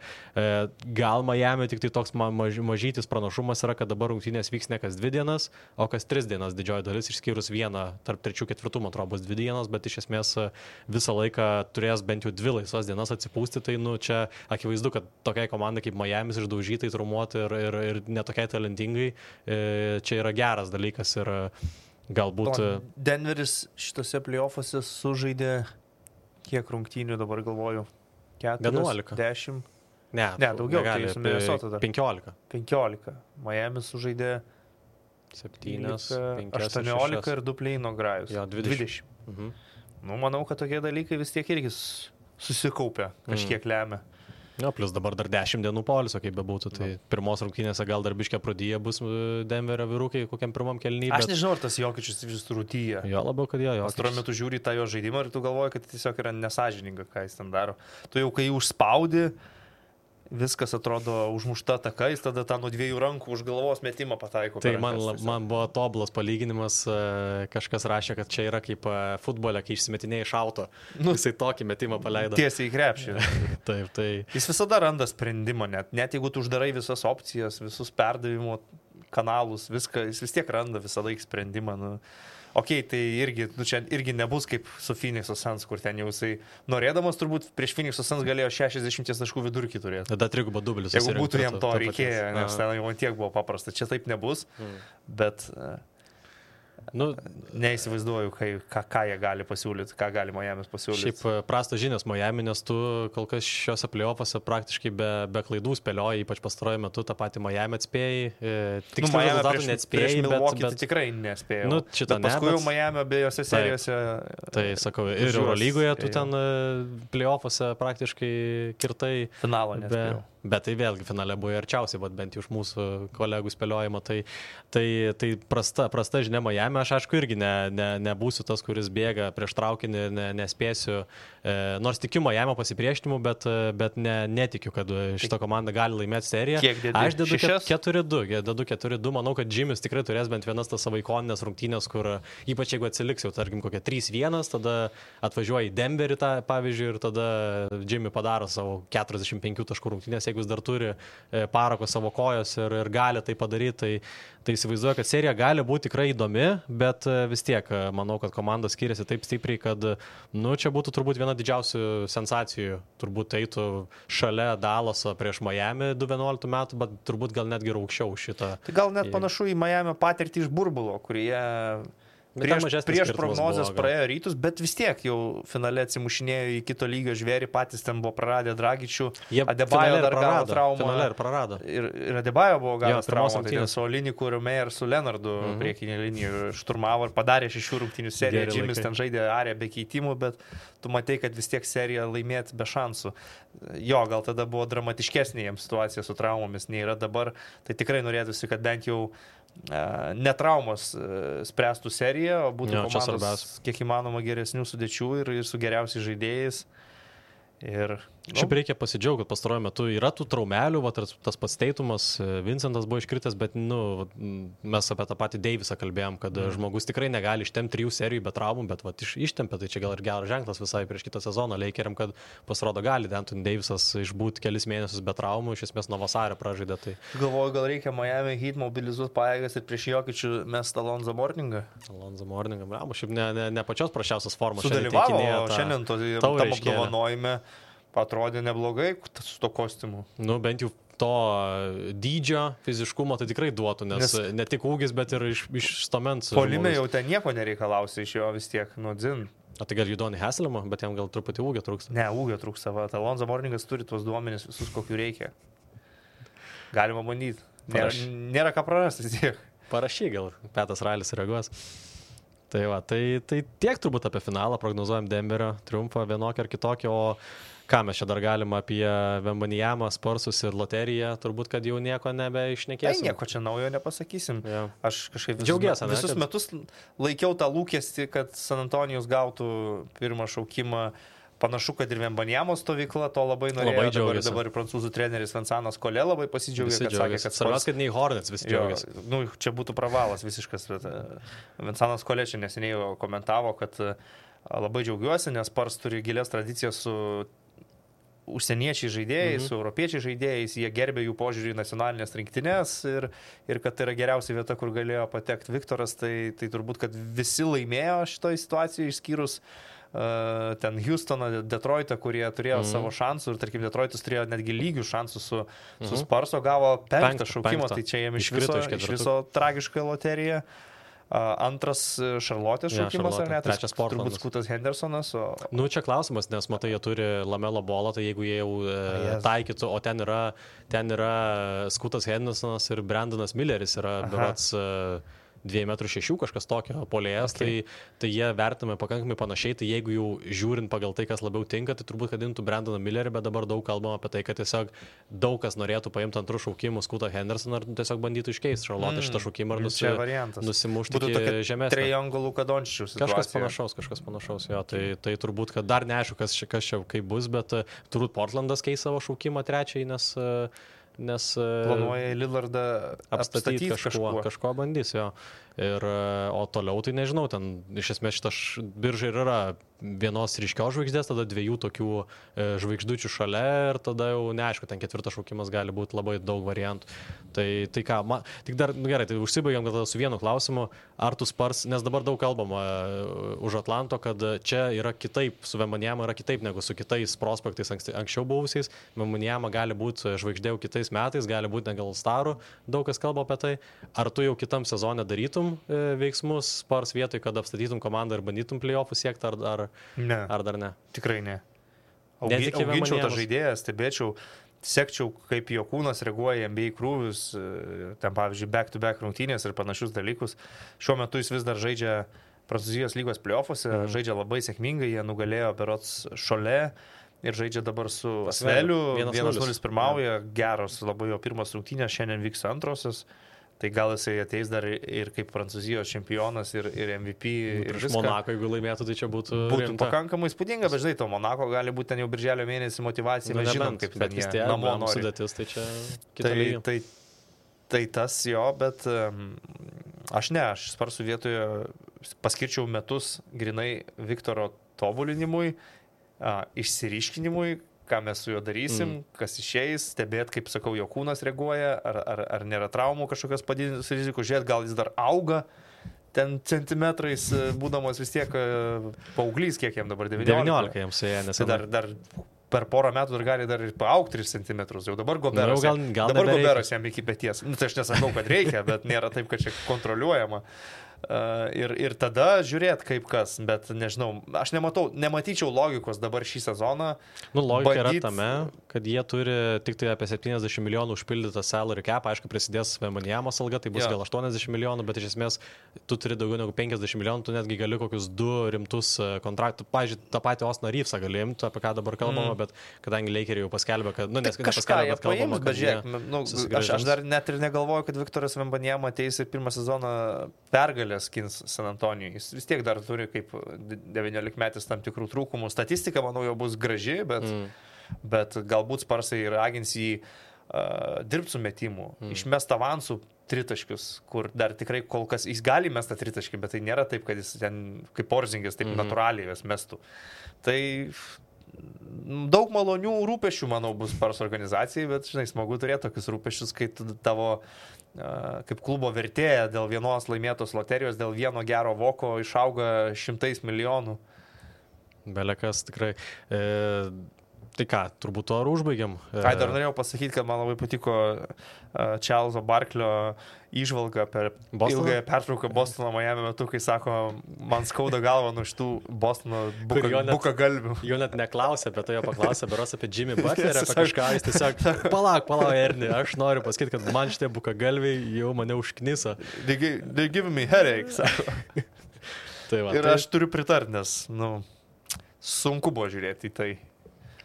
Speaker 3: gal Miami tik tai toks mažytis pranašumas yra, kad dabar rungtynės vyks ne kas 2 dienas, o kas 3 dienas didžioji dalis, išskyrus vieną tarp 3-4, man atrodo, bus 2 dienos, bet iš esmės visą laiką turės bent jau 2 laisvas dienas atsipūsti, tai čia akivaizdu, kad tokiai komandai kaip Miamis išdaužytai, traumuoti ir netokiai talentingai, čia yra geras dalykas ir galbūt...
Speaker 4: Denveris šitose playoffuose sužaidė kiek rungtynių dabar galvoju? 4,
Speaker 3: 11.
Speaker 4: 10?
Speaker 3: Ne,
Speaker 4: daugiau, tai su Minnesota dar.
Speaker 3: 15.
Speaker 4: Miamis sužaidė
Speaker 3: 7,
Speaker 4: 18 ir 2 play-ino grajus.
Speaker 3: Jo, 20. Mhm.
Speaker 4: Manau, kad tokie dalykai vis tiek irgi susikaupia, kažkiek lemia.
Speaker 3: Plus dabar dar 10 dienų poilsio, kaip bebūtų, tai pirmos rungtynėse gal dar biškė pradėję bus Denverio vyrukai kokiam pirmam kėliny.
Speaker 4: Aš nežinau, ar tas Jokičius vis rūtyje.
Speaker 3: Jo, labiau, kad jo.
Speaker 4: Pastaruoju metu žiūri tą jo žaidimą ir tu galvoji, kad tiesiog yra nesažininga, ką jis ten daro. Tu jau kai užspaudi, viskas atrodo užmušta takais, tada tą nuo 2 rankų už galvos metimą pataiko.
Speaker 3: Tai man buvo tobulas palyginimas, kažkas rašė, kad čia yra kaip futbole, kai išsimetinėjai iš auto. Jisai tokį metimą paleido.
Speaker 4: Tiesiai į krepšį.
Speaker 3: Taip, tai.
Speaker 4: Jis visada randa sprendimą, net jeigu tu uždarai visas opcijas, visus perdavimo kanalus, viską, jis vis tiek randa visada sprendimą. Okei, tai čia irgi nebus kaip su Phoenix'o Suns, kur ten jau jisai norėdamas turbūt prieš Phoenix'o Suns galėjo 60 taškų vidurkį turėti.
Speaker 3: Tada 3 dublis.
Speaker 4: Jeigu būtų jam to reikėjo, nes ten jau tiek buvo paprasta. Čia taip nebus, bet neįsivaizduoju, ką jie gali pasiūlyti, ką gali Miamis pasiūlyti.
Speaker 3: Šiaip prastas žinias Miami, nes tu kol kas šiuose play-offuose praktiškai be klaidų spėlioji, ypač pastaruoju metu tą patį Miami atspėjai. Tiksliau rezultatų neatspėjai, bet
Speaker 4: tikrai nespėjau.
Speaker 3: Paskui
Speaker 4: jau Miami abiejose serijose.
Speaker 3: Tai sakau, ir Eurolygoje tu ten play-offuose praktiškai kirtai.
Speaker 4: Finalo nespėjau.
Speaker 3: Bet tai vėlgi finale buvo arčiausiai, bent iš mūsų kolegų spėliojimo, tai prasta žinia Miami, aš aišku irgi nebūsiu tas, kuris bėga prieš traukinį, nespėsiu, nors tikiu Miami pasipriešinimu, bet netikiu, kad šita komanda gali laimėti seriją. Aš dedu 4-2, manau, kad Jimmy's tikrai turės bent vienas tas savo ikoninės rungtynės, kur ypač jeigu atsiliks jau, tarkim, kokia 3-1, tada atvažiuoja į Denverį, pavyzdžiui, ir tada Jimmy padaro savo 45 taškų rungtynės, jeigu jis dar turi parako savo kojos ir gali tai padaryti, tai įsivaizduoju, kad serija gali būti tikrai įdomi, bet vis tiek manau, kad komandos skiriasi taip stipriai, kad čia būtų turbūt viena didžiausių sensacijų, turbūt eitų šalia Dallaso prieš Miami 2011 metų, bet turbūt gal netgi aukščiau šitą.
Speaker 4: Tai gal net panašu į Miami patirtį iš burbulo, kurie prieš prognozes praėjo Rytus, bet vis tiek jau finale atsimušinėjo į kito lygio žvėrį, patys ten buvo praradę Dragičių, Adebayo dar gavo traumą.
Speaker 3: Finale ir prarado.
Speaker 4: Ir Adebayo buvo gavęs traumą, tai su Oliniku ir Meyer su Leonardu priekinė linija šturmavo ir padarė 6 rungtynių seriją. Jimmy's ten žaidė arę be keitimų, bet tu matei, kad vis tiek seriją laimėti be šansų. Jo, gal tada buvo dramatiškesnė jiems situacija su traumomis, nei yra dabar. Tai tikrai norėtųsi, kad bent jau netraumos spręstų seriją, o būtų
Speaker 3: Jo,
Speaker 4: komandos kiek įmanoma geresnių sudėčių ir su geriausiais žaidėjais. Ir
Speaker 3: Šiaip reikia pasidžiaugti, kad pastaruoju metu yra tų traumelių, va, tas pats Teitumas, Vincentas buvo iškritęs, bet mes apie tą patį Deivisą kalbėjom, kad žmogus tikrai negali ištempti 3 serijų be traumų, bet va, ištempė, tai čia gal ir geras ženklas visai prieš kitą sezoną Lakeriam, kad pasirodo gali Anthony Davisas išbūti kelis mėnesius be traumų, iš esmės nuo vasario pražaidė. Tai...
Speaker 4: Galvoju, gal reikia Miami Heat mobilizuoti pajėgas ir prieš Jokičių mest Alonzo Morningą.
Speaker 3: Alonzo Morningą, bravo, šiaip ne pačios prašiausios formos.
Speaker 4: Sudalyvavo šiandien tam apdovanojime. Atrodė neblogai su to kostiumu.
Speaker 3: Bent jau to dydžio, fiziškumo tai tikrai duotų, nes ne tik ūgis, bet ir iš stomens.
Speaker 4: Polime jau ten nieko nereikalausi iš jo vis tiek, dzin.
Speaker 3: O tai gal Judonį Haslemą, bet jam gal truputį ūgio trūksta.
Speaker 4: Ne, ūgio trūksta. Alonzo Morningas turi tuos duomenis visus, kokių reikia. Galima bandyti. Nėra ką prarasti vis tiek.
Speaker 3: Parašy gal, Petas Railis reaguos. Tai va, tai tiek turbūt apie finalą, prognozuojam Denverio triumfą vienokį ar kitokį, o ką mes čia dar galima apie Wembanyamą, Spursus ir loteriją, turbūt, kad jau nieko nebeišnekėsim.
Speaker 4: Tai nieko čia naujo nepasakysim.
Speaker 3: Ja.
Speaker 4: Aš kažkaip
Speaker 3: visus
Speaker 4: metus laikiau tą lūkestį, kad San Antonijus gautų pirmą šaukimą. Panašu, kad ir Wembanyamo stovykla to labai norėjo. Dabar prancūzų treneris Vincentas Collet labai pasidžiaugė, kad sakė, kad
Speaker 3: svarbiausia, kad nei Hornets visi džiaugiasi.
Speaker 4: Čia būtų pravalas visiškas. Vincentas Collet čia neseniai komentavo, kad labai džiaugiuosi, nes Spurs turi gilias tradicijas su užsieniečiai žaidėjai, su europiečiai žaidėjais, jie gerbė jų požiūrį į nacionalinės rinktinės ir kad tai yra geriausia vieta, kur galėjo patekti Viktoras, tai turbūt, kad visi laimėjo šitoje situacijoje, išskyrus ten Houstoną, Detroitą, kurie turėjo savo šansų ir tarkim Detroitas turėjo netgi lygių šansų su Sparso, gavo 5 šaukimą, tai čia jiems iš viso tragiška loterija. Antras Šarlotės šaukimas, ar ne?
Speaker 3: Trečias Portlandas.
Speaker 4: Turbūt Skutas Hendersonas.
Speaker 3: Čia klausimas, nes matai, jie turi Lamelo Ballą, tai jeigu jie jau taikytų, o ten yra Skutas Hendersonas ir Brandonas Milleris yra berods 2,6 m kažkas tokio polėjas, tai jie vertinami pakankamai panašiai, tai jeigu jau žiūrint pagal tai, kas labiau tinka, tai turbūt kad imtų Brandoną Millerį, bet dabar daug kalbama apie tai, kad tiesiog daug kas norėtų paimti antrų šaukimų Skutą Hendersoną ir tiesiog bandytų iškeisti Šarlotę šitą šaukimą ir nusimušti iki žemesnio.
Speaker 4: Triangulų Kadončius.
Speaker 3: Kažkas panašaus, jo, tai turbūt, kad dar neaišku, kas čia kaip bus, bet turbūt Portlandas keis savo šaukimą trečiai, nes
Speaker 4: planuoja Lillardą apstatyti
Speaker 3: kažko bandys, jo. O toliau tai nežinau, ten iš esmės šita birža ir yra vienos ryškios žvaigždės, tada 2 tokių žvaigždučių šalia ir tada jau neaišku, ten 4 šaukimas gali būti labai daug variantų. Tai ką, tik dar, gerai, tai užsibaigiam tada su vienu klausimu, ar tu Spurs, nes dabar daug kalbama už Atlanto, kad čia yra kitaip, su Wembanyama yra kitaip negu su kitais prospektais anksčiau buvusiais. Wembanyama gali būti žvaigždė jau kitais metais, gali būti negal starų, daug kas kalba apie tai. Ar tu jau kitam sezone darytum veiksmus Spurs vietoj, kad apstatytum komandą ir bandytum playoffų siekti, ar dar ne?
Speaker 4: Tikrai ne. Auginčiau tą žaidėją, stebėčiau, sekčiau, kaip jo kūnas reaguoja į NBA krūvius, ten pavyzdžiui back-to-back rungtynės ir panašius dalykus. Šiuo metu jis vis dar žaidžia Prancūzijos lygos playoffuose, žaidžia labai sėkmingai, jie nugalėjo berods Šolė ir žaidžia dabar su Asveliu, 1-0 pirmauja, geros labai jo pirmas rungtynės, šiandien vyks antrosios. Tai gal jisai ateis dar ir kaip Prancūzijos čempionas ir MVP. Ir
Speaker 3: iš Monako, jeigu laimėtų, tai čia būtų
Speaker 4: pakankamai įspūdinga, bet žinai, to Monako gali būti ten jau birželio mėnesį motyvacija, mes žinom, kaip ten jie namo nori.
Speaker 3: Sudėtis, tai čia kita lyga.
Speaker 4: Tai tas jo, bet aš Sparsų vietoje paskirčiau metus grinai Viktoro tobulinimui, išsiryškinimui, ką mes su juo darysim, kas išeis, stebėt, kaip sakau, jo kūnas reaguoja, ar nėra traumų kažkokios padidintos rizikų, žiūrėt, gal jis dar auga ten centimetrais, būdamas vis tiek paauglys, kiek jam dabar
Speaker 3: 19 jam suėję, nes
Speaker 4: dar per porą metų dar gali dar ir paaugti 3 centimetrus, jau dabar Goberas jam iki peties. Tai aš nesakau, kad reikia, bet nėra taip, kad čia kontroliuojama. Ir tada žiūrėt kaip kas, bet nežinau, aš nematyčiau logikos dabar šį sezoną.
Speaker 3: Nu, logika yra tame, kad jie turi tik tai apie 70 milijonų užpildytą salary cap, aišku, prisidės Wembanyamos alga, tai bus gal 80 milijonų, bet iš esmės tu turi daugiau negu 50 milijonų, tu netgi gali kokius 2 rimtus kontraktus, pavyzdžiui, tą patį Ostiną Reevesą gali imti, apie ką dabar kalbama, bet kadangi Lakeriai jau paskelbė, kad, nu, nepaskelbė, bet kalbama, kad
Speaker 4: aš dar net ir negalvoju, kad Viktoras Wembanyama ateis ir pirmą sezoną pergalės skins San Antonijui. Jis vis tiek dar turi kaip 19 metais tam tikrų trūkumų. Statistika, manau, jau bus graži, bet galbūt Sparsai ragins jį dirbti su metimu, išmest avansų tritaškius, kur dar tikrai kol kas jis gali mestą tritaškį, bet tai nėra taip, kad jis ten kaip Porzingis taip natūraliai jas mestų. Tai daug malonių rūpešių, manau, bus Spurs organizacijai, bet, žinai, smagu turėti tokius rūpešius, kai tavo kaip klubo vertėja dėl vienos laimėtos loterijos, dėl vieno gero voko išauga 100 milijonų.
Speaker 3: Belekas tikrai. Tai ką, turbūt to ar užbaigiam?
Speaker 4: Dar norėjau pasakyti, kad man labai patiko Čarlzo Barklio įžvalga per ilgąją pertrauką Bostono Miami metu, kai sako, man skauda galva nuo šitų Bostono bukagalvių.
Speaker 3: Jo net neklausė, apie tai jo paklausė, beros apie Jimmy Butlerį, apie kažką, jis tiesiog, palauk, Erni, aš noriu pasakyti, kad man šitie bukagalviai jau mane užknisa.
Speaker 4: They give me headache, sako.
Speaker 3: Tai va,
Speaker 4: ir aš turiu pritarti, nes, sunku buvo žiūrėti į tai.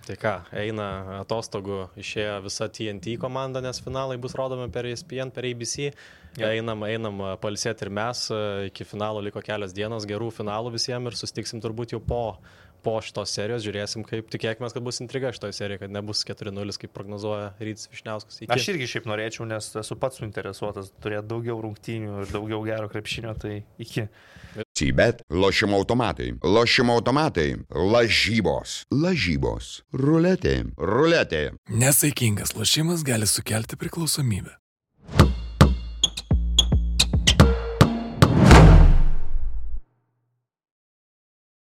Speaker 3: Tai ką, eina atostogų, išėjo visa TNT komanda, nes finalai bus rodomi per ESPN, per ABC. Einam pailsėti ir mes, iki finalo liko kelios dienos, gerų finalų visiems ir sustiksim turbūt jau po šitos serijos, žiūrėsim, kaip tikėkime, kad bus intriga šitoje serijoje, kad nebus 4-0, kaip prognozuoja Rytis Vyšniauskas.
Speaker 4: Aš irgi šiaip norėčiau, nes esu pats suinteresuotas turėti daugiau rungtynių ir daugiau gero krepšinio, tai iki.
Speaker 1: Cibet, lošimo automatai, lažybos, ruletė.
Speaker 2: Nesaikingas lošimas gali sukelti priklausomybę.